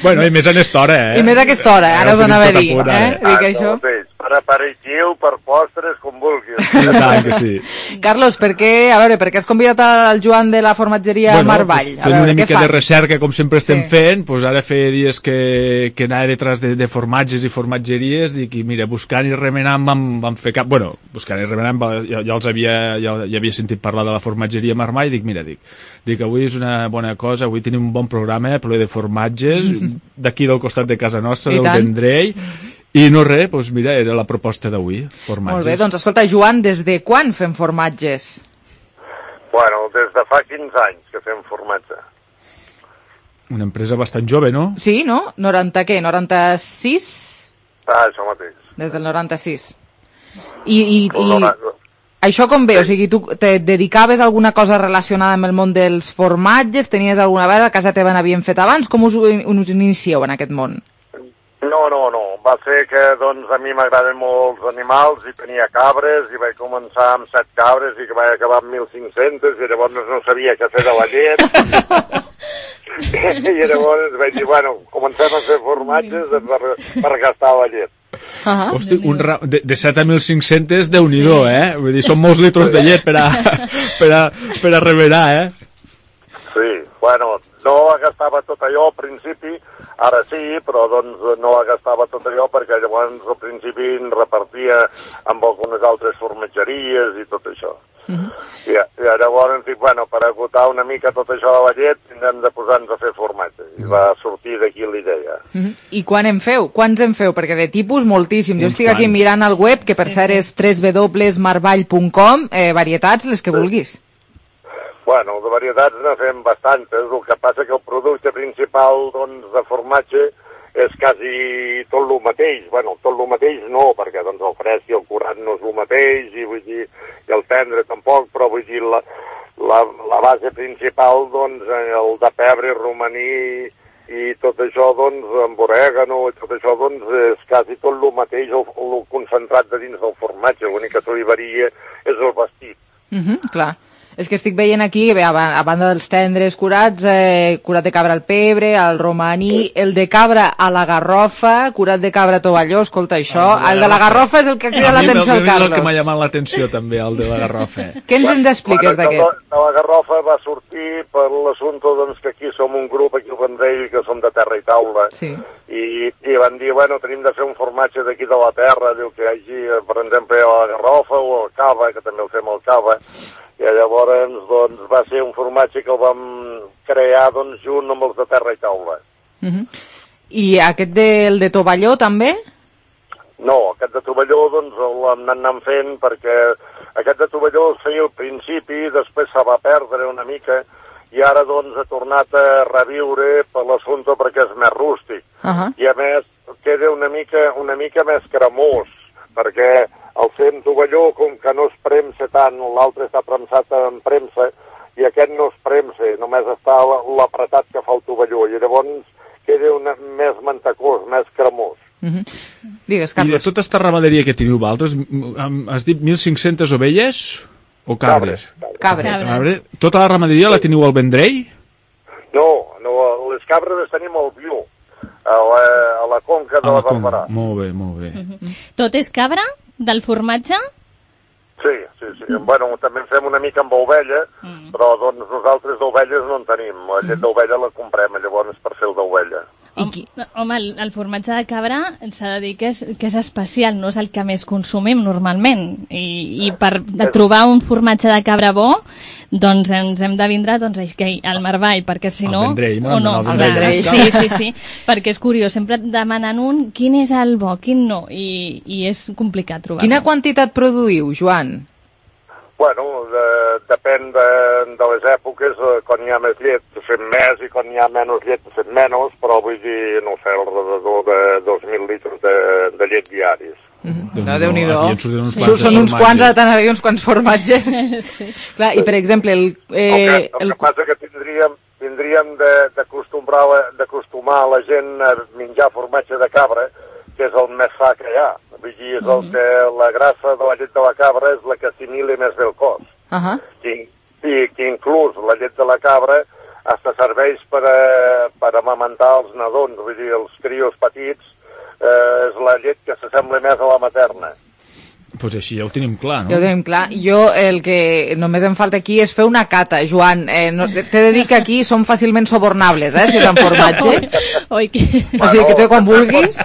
Bueno, i més en esta hora, I més a aquesta hora, ara us anava a dir. Dic això. Per aperitiu, per postres, com vulguis. Tant que sí. Carlos, per què has convidat al Joan de la formatgeria Marvall? Fent una mica de recerca, com sempre estem fent, ara feia dies que anava detrás de formatges i formatgeries, dic, i mira, buscant i remenant vam fer cap... Bueno, buscant i remenant ja havia sentit parlar de la formatgeria Marvall, dic, mira, dic, avui és una bona cosa, avui tenim un bon programa ple de formatges, d'aquí del costat de casa nostra, del Vendrell, i no res, doncs mira, era la proposta d'avui, formatges. Molt bé, doncs escolta, Joan, des de quan fem formatges? Bueno, des de fa 15 anys que fem formatge. Una empresa bastant jove, no? Sí, no? 96? Això mateix. Des del 96. I això com ve? O sigui, tu te dedicaves a alguna cosa relacionada amb el món dels formatges? Tenies alguna vegada a casa teva n'havien fet abans? Com us inicieu en aquest món? No. Va ser que, doncs, a mi m'agraden molt els animals i tenia cabres i vaig començar amb 7 cabres i que vaig acabar amb 1.500 i llavors no sabia què fer de la llet. I llavors vaig dir, bueno, comencem a fer formatges per gastar la llet. Hosti, de 7 a 1.500, Déu-n'hi-do, Vull dir, són molts litros de llet per a remenar, Sí, bueno, no gastava tot allò al principi, ara sí, però doncs no gastava tot allò perquè llavors al principi en repartia amb algunes altres formatgeries i tot això. I llavors dic, bueno, per agotar una mica tot això de la llet tindrem de posar-nos a fer formatge. I va sortir d'aquí la idea. I quan en feu? Quants en feu? Perquè de tipus moltíssims. Jo estic aquí mirant al web, que per cert és www.marvall.com, varietats, les que vulguis. Bueno, de varietats ne fem bastantes, el que passa que el producte principal doncs, de formatge és quasi tot el mateix. Bueno, tot el mateix no, perquè doncs, el fresc i el curat no és el mateix, i vull dir, i el tendre tampoc, però vull dir, la base principal, doncs, el de pebre, romaní i tot això, doncs, amb orègano, i tot això, doncs, és quasi tot el mateix, el concentrat de dins del formatge. L'únic que li varia és el vestit. Clar. És que estic veient aquí, a banda dels tendres curats, curat de cabra al pebre, al romaní, el de cabra a la garrofa, curat de cabra a tovalló, escolta, això, el de la garrofa és el que crida l'atenció al Carlos. El que m'ha llamat l'atenció també, el de la garrofa. Què ens en expliques d'aquest? De la garrofa va sortir per l'assumpte doncs, que aquí som un grup, aquí al Vendrell, que som de terra i taula, i van dir, bueno, tenim de fer un formatge d'aquí de la terra, diu que hi hagi, per exemple, a la garrofa o al cava, que també el fem al cava, i llavors doncs, va ser un formatge que el vam crear doncs, junt amb els de terra i taula. I aquest de tovalló també? No, aquest de tovalló doncs, l'hem anat fent perquè aquest de tovalló es feia al principi, després se va perdre una mica i ara doncs ha tornat a reviure per l'assumpte perquè és més rústic. I a més queda una mica més cremós, perquè el fem tovalló, com que no es premsa tant, l'altre està premsat en premsa, i aquest no es premsa, només està l'apretat que fa el tovalló, i llavors queda més mantecós, més cremós. Digues, Carlos. I de tota aquesta ramaderia que teniu vosaltres, has dit 1.500 ovelles o cabres? Cabres. Tota la ramaderia la teniu al Vendrell? No, les cabres les tenim al Viu, a la conca de la Barberà. Molt bé. Tot és cabra? Del formatge? Sí. Bueno, també en fem una mica amb ovella, però doncs nosaltres d'ovelles no en tenim. La llet d'ovella la comprem, llavors per fer el d'ovella. Home, el formatge de cabra s'ha de dir que és especial, no és el que més consumim normalment. I per trobar un formatge de cabra bo, doncs ens hem de vindre al Marvall, perquè si no... El Vendrell, el Vendrell. Sí, perquè és curiós, sempre demanen quin és el bo, quin no, i és complicat trobar-lo. Quina quantitat produïu, Joan? Bueno, depèn de les èpoques, quan hi ha més llet fem més i quan hi ha menys llet fem menys, però vull dir, no sé, alrededor de 2.000 litres de llet diaris. Déu-n'hi-do. Són uns quants, ara t'anava a dir uns quants formatges. Clar, i per exemple... El que passa que tindríem d'acostumar la gent a menjar formatge de cabra, que és el més sa que hi ha. Vull dir, és el que la grassa de la llet de la cabra és la que assimila més bé el cos. I que inclús la llet de la cabra hasta serveix per amamentar els nadons, vull dir, els crios petits, és la llet que s'assembla més a la materna. Pues així ja ho tenim clar, no? Ja ho tenim clar. Jo el que només em falta aquí és fer una cata, Joan. T'he de dir que aquí som fàcilment sobornables, si és en formatge. Oi, o sigui que tu quan vulguis...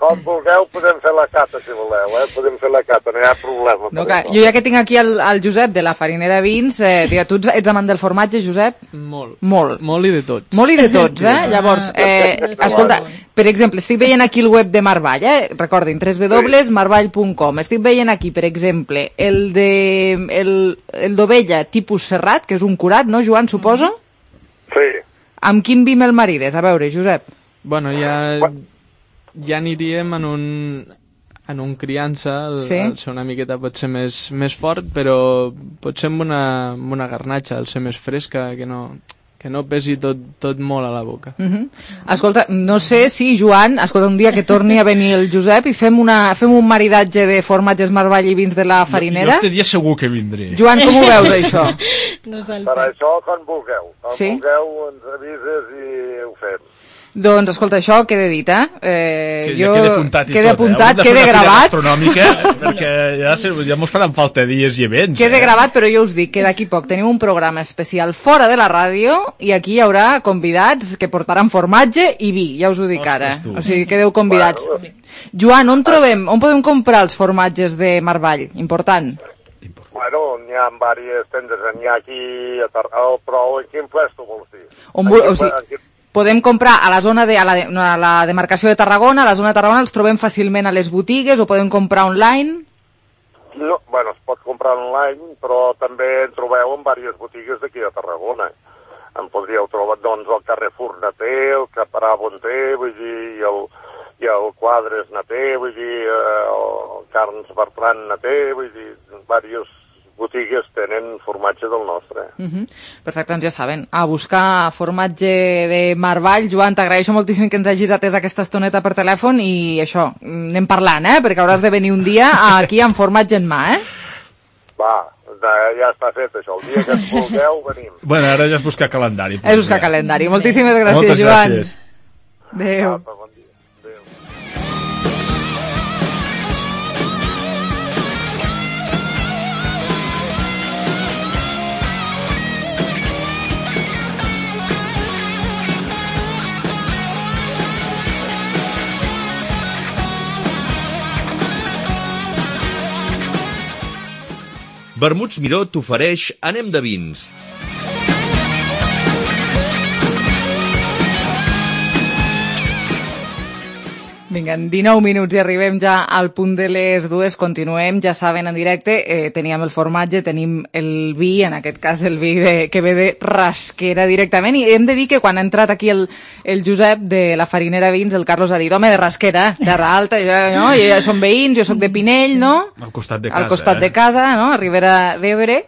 Com vulgueu podem fer la cata, si voleu, podem fer la cata, no hi ha problema. No, clar, jo ja que tinc aquí el Josep de la Farinera Vins, tu ets amant del formatge, Josep? Molt. Molt i de tots. Molt i de tots, Llavors, escolta, per exemple, estic veient aquí el web de Marvall, recordin, www.marvall.com. Estic veient aquí, per exemple, el d'ovella tipus serrat, que és un curat, no, Joan, suposo? Sí. Amb quin vi me'l marides? A veure, Josep. Bueno, ja aniríem en un criança, el ser una miqueta pot ser més fort, però pot ser amb una garnatxa, el ser més fresca, que no pesi tot molt a la boca. Escolta, no sé si, Joan, un dia que torni a venir el Josep i fem un maridatge de formatges Marvall i vins de la farinera. Jo este dia segur que vindré. Joan, com ho veus, això? Per això, quan vulgueu. Quan vulgueu, ens avises i ho fem. Doncs, escolta, això queda dit, Queda apuntat i queda tot, apuntat, queda gravat. Perquè ja mos faran falta dies i events. Queda gravat, però jo us dic que d'aquí poc tenim un programa especial fora de la ràdio i aquí hi haurà convidats que portaran formatge i vi, ja us ho dic ara. O sigui, quedeu convidats. Joan, on podem comprar els formatges de Marvall? Important. Bueno, n'hi ha diverses tendes, n'hi ha aquí a Tarragona, però en quin puesto vols dir? O sigui, podem comprar a la zona a la demarcació de Tarragona, a la zona de Tarragona els trobem fàcilment a les botigues o podem comprar online? No, bueno, es pot comprar online, però també en trobeu en diverses botigues d'aquí a Tarragona. En podríeu trobar, doncs, el Carrefour Naté, el Caparà Bonté, vull dir, i el Quadres Naté, vull dir, el Carns Bertran Naté, vull dir, diverses botigues tenen formatge del nostre. Perfecte, doncs ja saben, a buscar formatge de Marvall. Joan, t'agraeixo moltíssim que ens hagis atès aquesta estoneta per telèfon i això, anem parlant, perquè hauràs de venir un dia aquí amb formatge en mà, Va, ja està fet això, el dia que ens vulgueu venim. Bueno, ara ja és buscar calendari. És buscar calendari. Moltíssimes gràcies, Joan. Moltes gràcies. Adéu. Vermuts Miró t'ofereix Anem de vins. Vinga, en 19 minuts i arribem ja al punt de les 2, continuem, ja saben, en directe, teníem el formatge, tenim el vi, en aquest cas el vi que ve de Rasquera directament, i hem de dir que quan ha entrat aquí el Josep de la Farinera Vins, el Carlos ha dit, home, de Rasquera, Terra Alta, no? Ja som veïns, jo sóc de Pinell, no? Al costat de casa. Al costat de casa, no? A Ribera d'Ebre.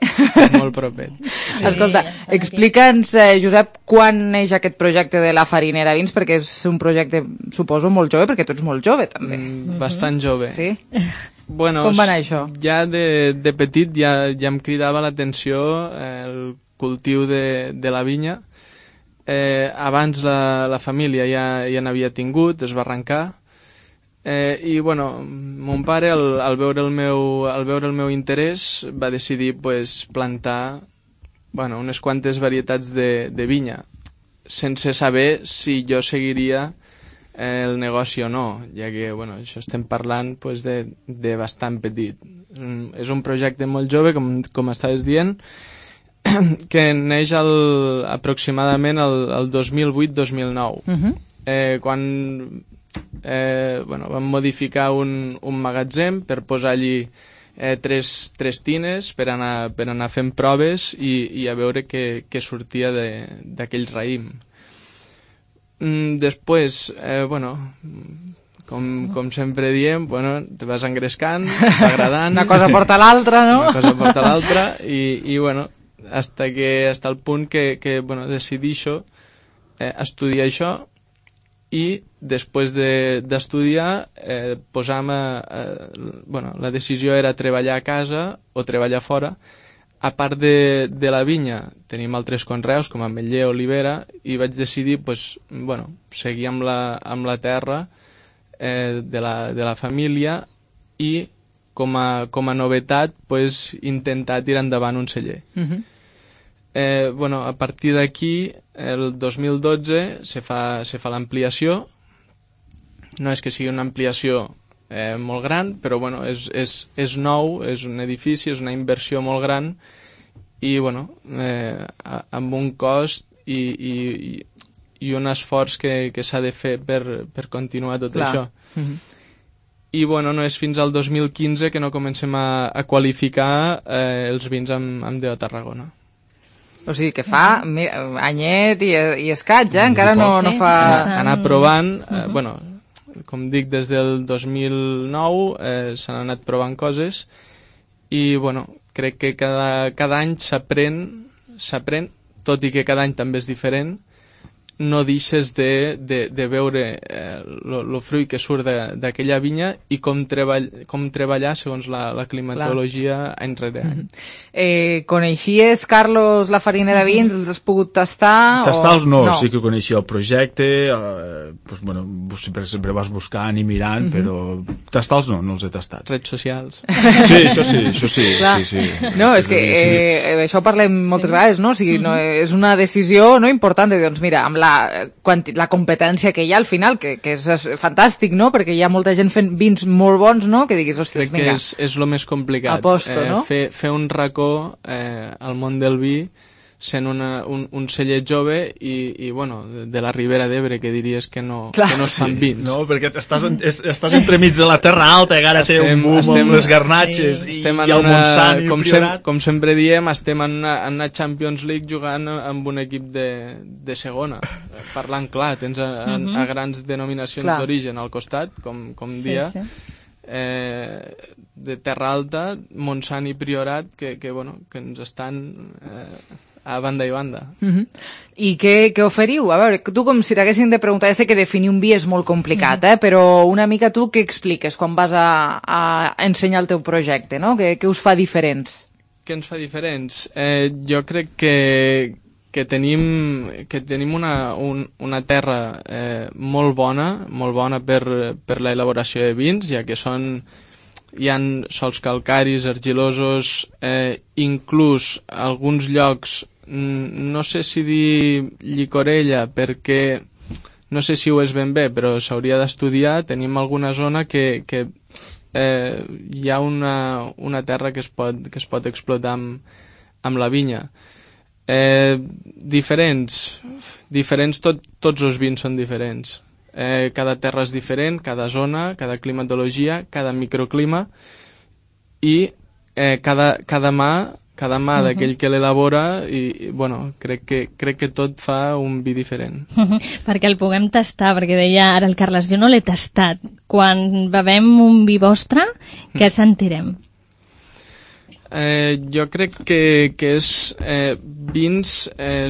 Molt propet. Sí. Escolta, explica'ns, Josep, quan neix aquest projecte de la Farinera Vins, perquè és un projecte, suposo, molt jove, perquè tu ets molt jove, també. Bastant jove. Sí? Bueno, com va anar això? Ja de petit ja em cridava l'atenció el cultiu de la vinya. Abans la família ja n'havia tingut, es va arrencar. I, bueno, mon pare, al veure el meu interès, va decidir plantar unes quantes varietats de vinya, sense saber si jo seguiria el negoci o no, ja que això estem parlant de bastant petit. És un projecte molt jove, com estaves dient, que neix aproximadament el 2008-2009, quan vam modificar un magatzem per posar allí tres tines per anar fent proves i a veure què sortia d'aquell raïm. Després, com sempre diem, te vas engrescant, t'agradant. Una cosa porta l'altra, no? Una cosa porta l'altra i hasta el punt que decidí estudiar això i després d'estudiar la decisió era treballar a casa o treballar fora. A part de la vinya, tenim altres conreus, com ametller, olivera, i vaig decidir seguir amb la terra de la família, i com a novetat intentar tirar endavant un celler. A partir d'aquí, el 2012 se fa l'ampliació. No és que sigui una ampliació molt gran, però és nou, és un edifici, és una inversió molt gran i amb un cost i un esforç que s'ha de fer per continuar tot això. I no és fins al 2015 que no comencem a qualificar els vins amb DO Tarragona. O sigui que fa anyet i escaig, encara no fa... Anar provant, com dic, des del 2009 s'han anat provant coses i crec que cada any s'aprèn, tot i que cada any també és diferent. No deixes de veure el fruit que surt d'aquella vinya i com treballar segons la climatologia any rere any. Coneixies, Carlos, la farina de vins? Els has pogut tastar? Tastar-los no, sí que coneixia el projecte, sempre vas buscant i mirant, però tastar-los no els he tastat. Redes socials. Sí, això sí. No, és que això parlem moltes vegades, no? O sigui, és una decisió important de dir, doncs mira, amb la competència que hi ha al final, que és fantàstic, no? Perquè hi ha molta gent fent vins molt bons, no? Que diguis, ostres, vinga. Crec que és el més complicat. Aposto, no? Fer un racó al món del vi sent un celler jove i de la Ribera d'Ebre, que diries que no es fan vins. No, perquè estàs entremig de la Terra Alta, que ara té un boom amb les garnatxes i el Montsant i el Priorat. Com sempre diem, estem en una Champions League jugant amb un equip de segona. Parlant clar, tens a grans denominacions d'origen al costat, com dia, de Terra Alta, Montsant i Priorat, que ens estan... a banda i banda. I què oferiu? A veure, tu com si t'haguessin de preguntar, ja sé que definir un vi és molt complicat, però una mica tu què expliques quan vas a ensenyar el teu projecte, no? Què us fa diferents? Què ens fa diferents? Jo crec que tenim una terra molt bona per l'elaboració de vins, ja que hi ha sòls calcaris, argilosos, inclús alguns llocs, no sé si dir llicorella, perquè no sé si ho és ben bé, però s'hauria d'estudiar. Tenim alguna zona que hi ha una terra que es pot explotar amb la vinya. Diferents, tots els vins són diferents. Cada terra és diferent, cada zona, cada climatologia, cada microclima i cada mà d'aquell que l'elabora i crec que tot fa un vi diferent. Perquè el puguem tastar, perquè deia ara el Carles, jo no l'he tastat. Quan bevem un vi vostre, què sentirem? Jo crec que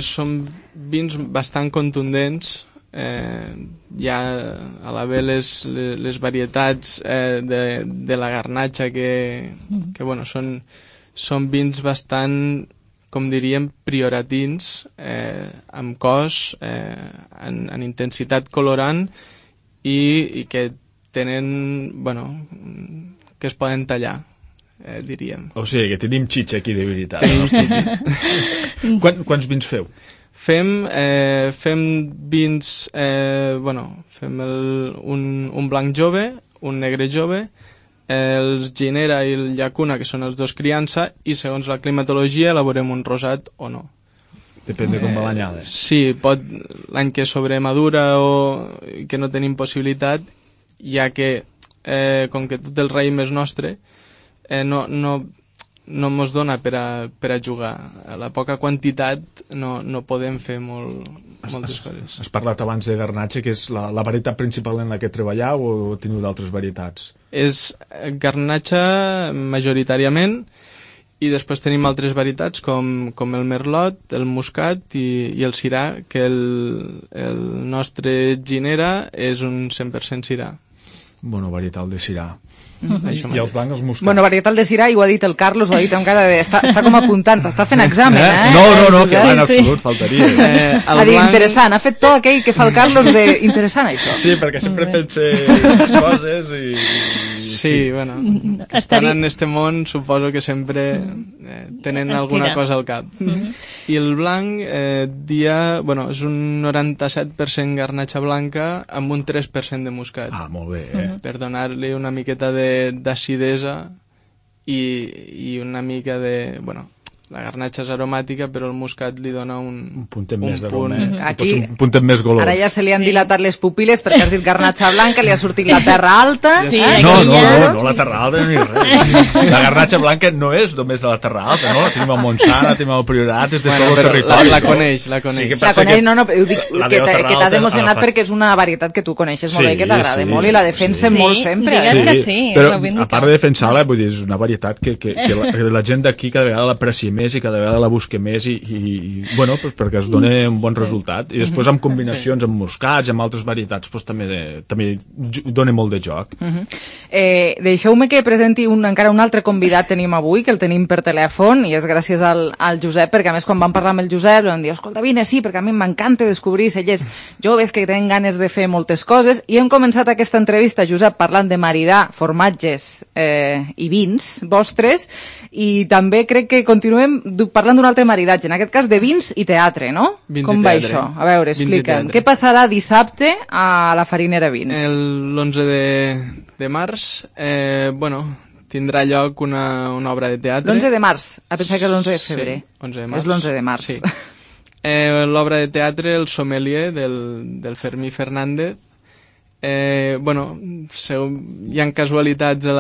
són vins bastant contundents. Hi ha a la ve les varietats de la garnatxa que són vins bastant, com diríem, prioratins, amb cos, en intensitat colorant i que tenen, que es poden tallar, diríem. O sigui, que tenim xitxa aquí de veritat. Tenim xitxa. Quants vins feu? Fem vins, fem un blanc jove, un negre jove, els Ginera i el Llacuna, que són els dos criança, i segons la climatologia elaborem un rosat o no. Depèn de com va l'anyada. Sí, l'any que sobremadura o que no tenim possibilitat, ja que com que tot el raïm és nostre, no mos dona per a jugar. A la poca quantitat no podem fer moltes coses. Has parlat abans de garnatxa, que és la varietat principal en la que treballeu, o teniu d'altres varietats? És garnatxa majoritàriament, i després tenim altres varietats com el merlot, el muscat i el sirà, que el nostre Ginera és un 100% sirà. Bueno, varietal de sirà. I els blancs, els moscats. Bueno, varietal de Syrah, i ho ha dit el Carlos, ho ha dit amb cara de... Està com apuntant, està fent examen, No, que en absolut, faltaria. Ha dit interessant, ha fet tot aquell que fa el Carlos de interessant, això. Sí, perquè sempre pense coses i... Sí, bueno, estan en este món, suposo que sempre tenen alguna cosa al cap. I el blanc és un 97% garnatxa blanca amb un 3% de moscat. Ah, molt bé. Per donar-li una miqueta d'acidesa i una mica de... Bueno, la garnatxa és aromàtica, però el moscat li dona un puntet més d'aroma. Aquí, un puntet més golós. Ara ja se li han dilatat les pupil·les perquè has dit garnatxa blanca, li ha sortit la terra alta. No, la terra alta no hi res. La garnatxa blanca no és només de la terra alta, no? La tenim a Montsant, la tenim al Priorat, és de tot el territori. La coneix. Ho dic que t'has emocionat perquè és una varietat que tu coneixes molt bé, que t'agrada molt i la defensen molt sempre. Digues que sí. Però a part de defensar-la, vull dir, és una varietat que la gent d'aquí cada vegada l'aprecia més i cada vegada la busca més bueno, pues perquè es dona un bon resultat. I després amb combinacions amb moscats, amb altres varietats, pues també dona molt de joc. Deixeu-me que presenti encara un altre convidat tenim avui, que el tenim per telèfon, i és gràcies al Josep, perquè a més quan vam parlar amb el Josep vam dir, escolta, vine, sí, perquè a mi m'encanta descobrir cellers joves que tenen ganes de fer moltes coses, i hem començat aquesta entrevista, Josep, parlant de maridar formatges i vins vostres, i també crec que continuem parlant d'un altre maridatge, en aquest cas de vins i teatre, no? Com va això? A veure, explica'm. Què passarà dissabte a la Farinera Vins? L'11 de març, tindrà lloc una obra de teatre. L'11 de març, a pensar que és l'11 de febrer. Sí, 11 de març. És l'11 de març. Sí. L'obra de teatre, El sommelier, del Fermí Fernández. Hi ha casualitats a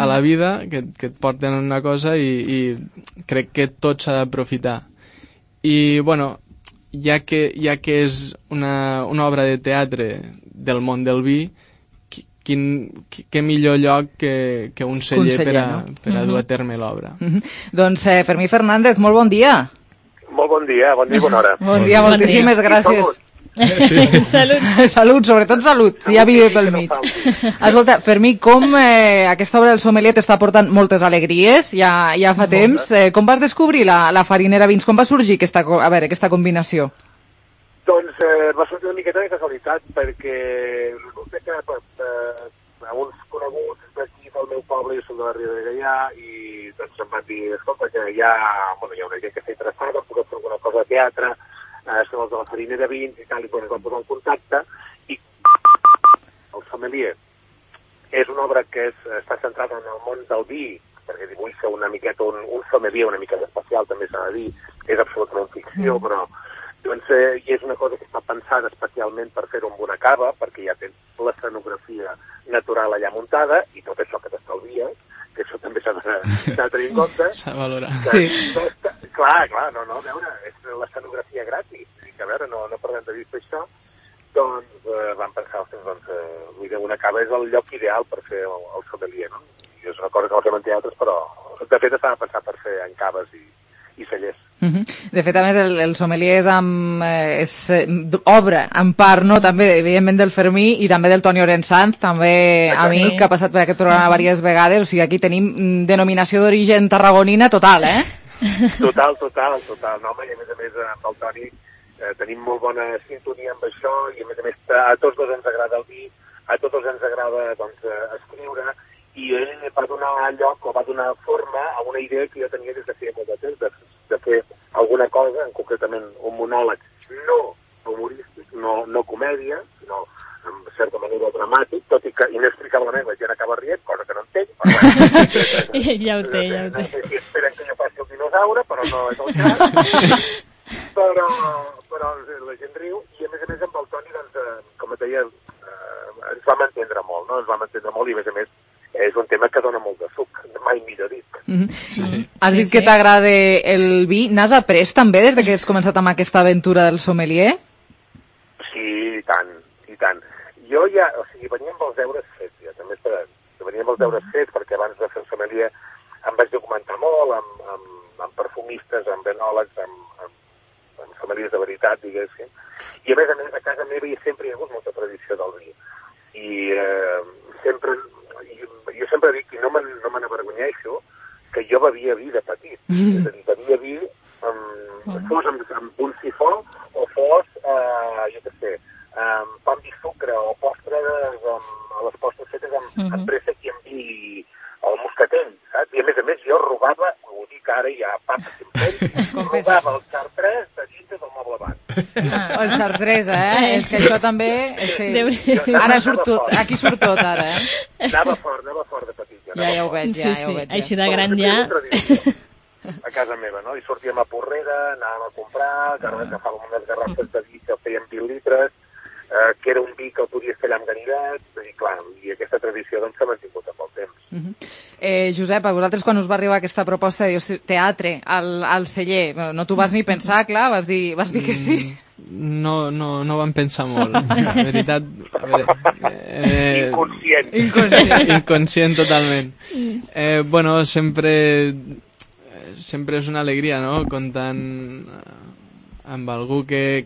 la vida que et porten una cosa i crec que tot s'ha d'aprofitar. I, ja que és una obra de teatre del món del vi, què millor lloc que un celler per a dur a terme l'obra. Doncs Fermí Fernández, molt bon dia. Molt bon dia i bona hora. Bon dia, moltíssimes gràcies. Salut, sobretot salut, si hi ha vida pel mig. Escolta, Fermí, com aquesta obra del sommelier t'està portant moltes alegries, ja fa temps. Com vas descobrir la Farinera Vins? Com va sorgir aquesta combinació? Doncs va sortir una miqueta de casualitat, perquè resulta que uns coneguts d'aquí del meu poble, jo soc de la Riera de Gaià, i doncs em van dir, escolta, que hi ha una gent que està interessada, puc fer alguna cosa de teatre, són els de la Farinera Vins i tal, i quan es van posar en contacte, i el sommelier és una obra que està centrada en el món del vi, perquè dibuixa una miqueta un sommelier una miqueta especial, també s'ha de dir, és absolutament ficció, però i és una cosa que està pensada especialment per fer-ho amb una cava, perquè ja tens l'escenografia natural allà muntada, i tot això que t'estalvies, que això també s'ha de tenir en compte. S'ha de valorar. Sí. Clar, a veure, és l'escenografia gratis, que a veure, no perdem de vista això, doncs vam pensar, una cava és el lloc ideal per fer el sommelier, no? I és una cosa que no fem en teatres, però de fet estava pensat per fer en caves i cellers. De fet, a més, el sommelier és obra, en part, no? També, evidentment, del Fermí i també del Toni Orensanz, també amic, que ha passat per aquest programa diverses vegades. O sigui, aquí tenim denominació d'origen tarragonina total, eh? Total. No, home, i a més amb el Toni tenim molt bona sintonia amb això, i a més a tots dos ens agrada el vi, a tots dos ens agrada escriure, i ell va donar lloc o va donar forma a una idea que jo tenia des de feia molt de temps, de fer alguna cosa, concretament un monòleg no humorístic, no comèdia, sinó en certa manera dramàtic, tot i que inexplicablement la gent acaba rient, cosa que no entenc. Ja ho té. No sé si esperen que jo faci el dinosaure, però no és el cas. Però la gent riu, i a més amb el Toni, doncs, com et deia, ens vam entendre molt, no? I a més és un tema que dona molt de suc, mai millor dit. Has dit que t'agrada el vi. N'has après també des que has començat amb aquesta aventura del sommelier? Sí, i tant. Jo ja, venia amb els deures fets, ja, també esperant. Venia amb els deures fets, perquè abans de fer el sommelier em vaig documentar molt amb perfumistes, amb enòlegs, amb sommeliers de veritat, diguéssim. I a més, a casa meva sempre hi ha hagut molta tradició del vi. I sempre jo sempre dic, i no me n'avergonyeixo, que jo bevia vi de petit. És a dir, bevia vi, fos amb un sifó o fos, jo què sé, pa amb vi sucre o postres, a les postres fetes amb préssec i amb vi al moscatell, saps? I a més jo robava, ho dic ara ja, robava el Chartres de dintre del moble banc. El Chartres, És que això també... Ara surt tot, aquí surt tot, ara, Anava fort de petit. Ja ho veig, ja ho veig. Així de gran ja... A casa meva, no? I sortíem a Porrera, anàvem a comprar, agafàvem unes garrafes de vi que feien 20 litres, que era un vi que el podies fer allà amb ganivet, i clar, i aquesta tradició doncs s'ha mantingut amb el temps. Josep, a vosaltres quan us va arribar aquesta proposta de teatre al celler, no t'ho vas ni pensar, clar, vas dir que sí. No vam pensar molt, la veritat. Inconscient totalment. Bueno, sempre és una alegria, no?, comptant amb algú que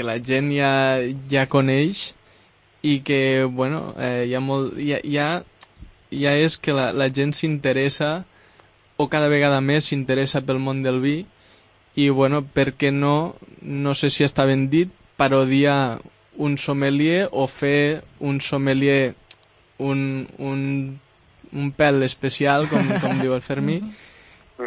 la gent ja coneix i que, bueno, ja és que la gent s'interessa, o cada vegada més s'interessa pel món del vi, i, bueno, per què no sé si està ben dit, parodiar un sommelier o fer un sommelier un pèl especial, com diu el Fermí,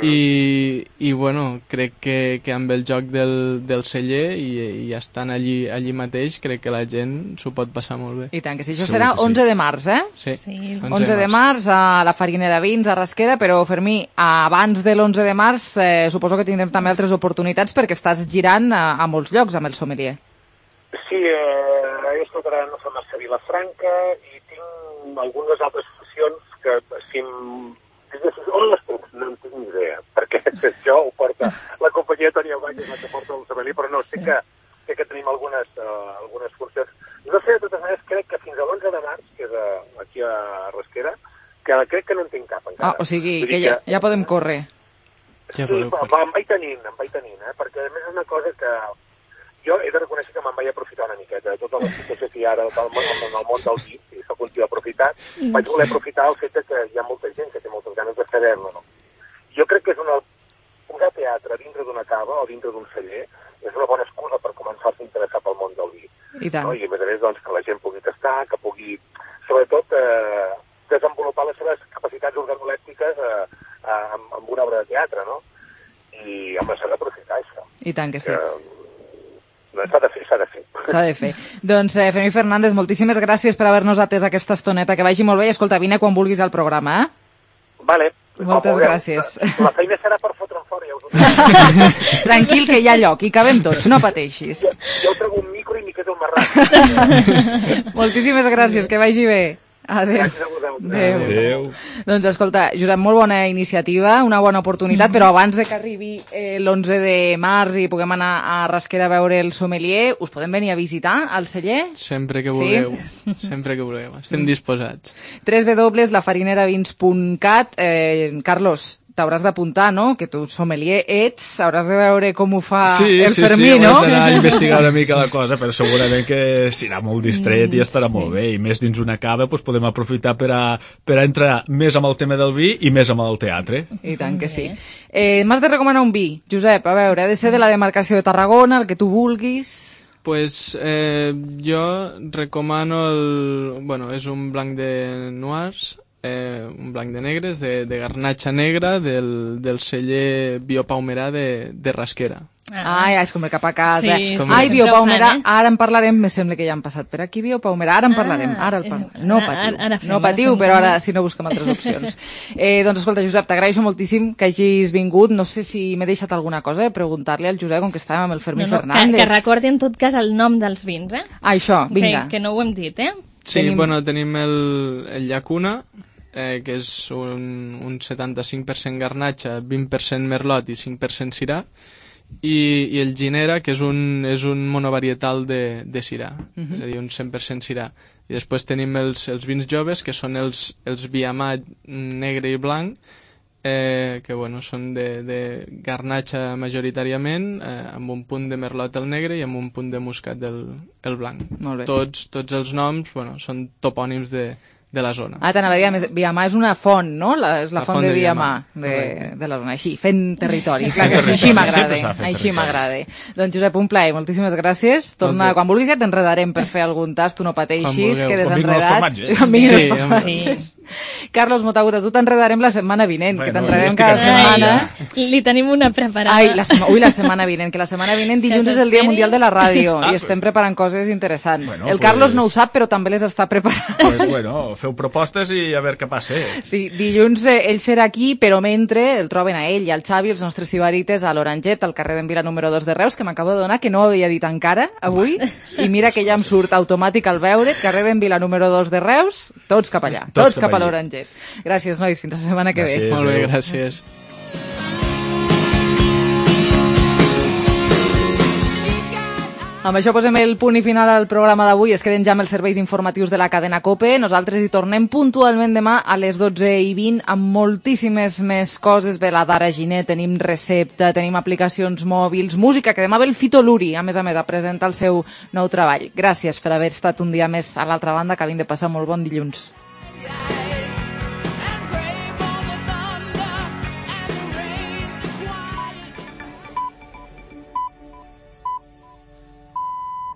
i bueno, crec que amb el joc del celler i estant allí mateix, crec que la gent s'ho pot passar molt bé. I tant, que sí. Això serà 11 de març, Sí, 11 de març a la Farinera Vins, a Rasquera, però Fermí, abans de l'11 de març suposo que tindrem també altres oportunitats perquè estàs girant a molts llocs amb el sommelier. Sí, he estat ara no fa massa a Vilafranca i tinc algunes altres funcions que si on les puc? No en tinc ni idea, perquè això ho porta la companyia Toni Aubany, que porta el sommelier, però no, sé que tenim algunes funcions. No sé, de totes maneres, crec que fins a l'11 de març, que és aquí a Rasquera, que crec que no en tinc cap encara. O sigui, que ja podem córrer. Sí, em vaig tenint, perquè a més és una cosa que jo he de reconèixer que me'n vaig aprofitar una miqueta de tota la situació que hi ha ara en el món del vi, i soc un tio aprofitat, vaig voler aprofitar el fet que hi ha molta gent que té moltes ganes de saber-lo, no? Jo crec que és posar teatre dintre d'una cava o dintre d'un celler és una bona excusa per començar-se a interessar pel món del vi. I tant. No? I a més a més, doncs, que la gent pugui tastar, que pugui, sobretot, desenvolupar les seves capacitats organolèptiques amb una obra de teatre, no? I, home, s'ha d'aprofitar això. I tant que sí. S'ha de fer. S'ha de fer. Doncs, Fermí Fernández, moltíssimes gràcies per haver-nos atès aquesta estoneta. Que vagi molt bé i, escolta, vine quan vulguis al programa, Vale. Moltes gràcies. La feina serà per fotre'm fora, ja us ho dic. Tranquil, que hi ha lloc, i cabem tots, no pateixis. Jo trego un micro i m'hi quedo marrat. Moltíssimes gràcies, que vagi bé. Adéu. Adéu. Doncs escolta, Josep, molt bona iniciativa, una bona oportunitat, però abans de que arribi l'11 de març i puguem anar a Rasquera a veure el sommelier, us podem venir a visitar al celler? Sempre que vulgueu, sempre que vulgueu. Estem disposats. www.lafarineravins.cat. Carlos, t'hauràs d'apuntar, no? Que tu sommelier ets, hauràs de veure com ho fa el Fermí, no? Sí, d'anar a investigar una mica la cosa, però segurament que serà molt distret i estarà molt bé, i més dins una cava doncs podem aprofitar per a entrar més amb el tema del vi i més amb el teatre. I tant que sí. M'has de recomanar un vi, Josep, a veure, ha de ser de la demarcació de Tarragona, el que tu vulguis. Pues jo recomano bueno, és un blanc de noirs, un blanc de negres, de garnatxa negra, del celler Biopaumerà de Rasquera. És com el cap a casa. Sí, Biopaumerà, ara en parlarem, me sembla que ja han passat per aquí, Biopaumerà, ara en parlarem, no patiu, però ara si no busquem altres opcions. Doncs escolta, Josep, t'agraeixo moltíssim que hagis vingut, no sé si m'he deixat alguna cosa, preguntar-li al Josep, com que estàvem amb el Fermí Fernández. Que recordi en tot cas el nom dels vins, això, vinga. Que no ho hem dit, Sí, bueno, tenim el Llacuna, que és un 75% garnatxa, 20% merlot i 5% sirà, i el Ginera, que és un monovarietal de sirà, és a dir, un 100% sirà. I després tenim els vins joves, que són els Viamat negre i blanc, que bueno, són de garnatxa majoritàriament, amb un punt de merlot el negre i amb un punt de muscat el blanc. Molt bé. Tots els noms, bueno, són topònims de la zona. T'anava a dir, Viamà és una font, no? És la font de Viamà, de la zona. Així, fent territori. Clar que així m'agrada. Doncs Josep, un plaer, moltíssimes gràcies. Torna, quan vulguis ja t'enredarem per fer algun tast, tu no pateixis, que desenredat. Sí. Carlos Motaguta, tu t'enredarem la setmana vinent, que t'enredem cada setmana. Li tenim una preparada. La setmana vinent, que la setmana vinent dilluns és el Dia Mundial de la Ràdio i estem preparant coses interessants. El Carlos no ho sap, però també les està preparant. Pues bueno, feu propostes i a veure què passa. Sí, dilluns ell serà aquí, però mentre el troben a ell i al Xavi, els nostres sibarites, a l'Oranget, al carrer d'en Vila número 2 de Reus, que m'acabo de donar, que no ho havia dit encara avui, i mira que ja em surt automàtic al veure, carrer d'en Vila número 2 de Reus, tots cap allà, tots cap a l'Oranget. Gràcies, nois, fins la setmana que ve. Molt bé, gràcies. Amb això posem el punt i final al programa d'avui. Es queden ja amb els serveis informatius de la cadena COPE. Nosaltres hi tornem puntualment demà a les 12:20 amb moltíssimes més coses. Ve la Dara Giner, tenim recepta, tenim aplicacions mòbils, música, que demà ve el Fito Luri, a més, a presentar el seu nou treball. Gràcies per haver estat un dia més a l'altra banda, que havien de passar molt bon dilluns.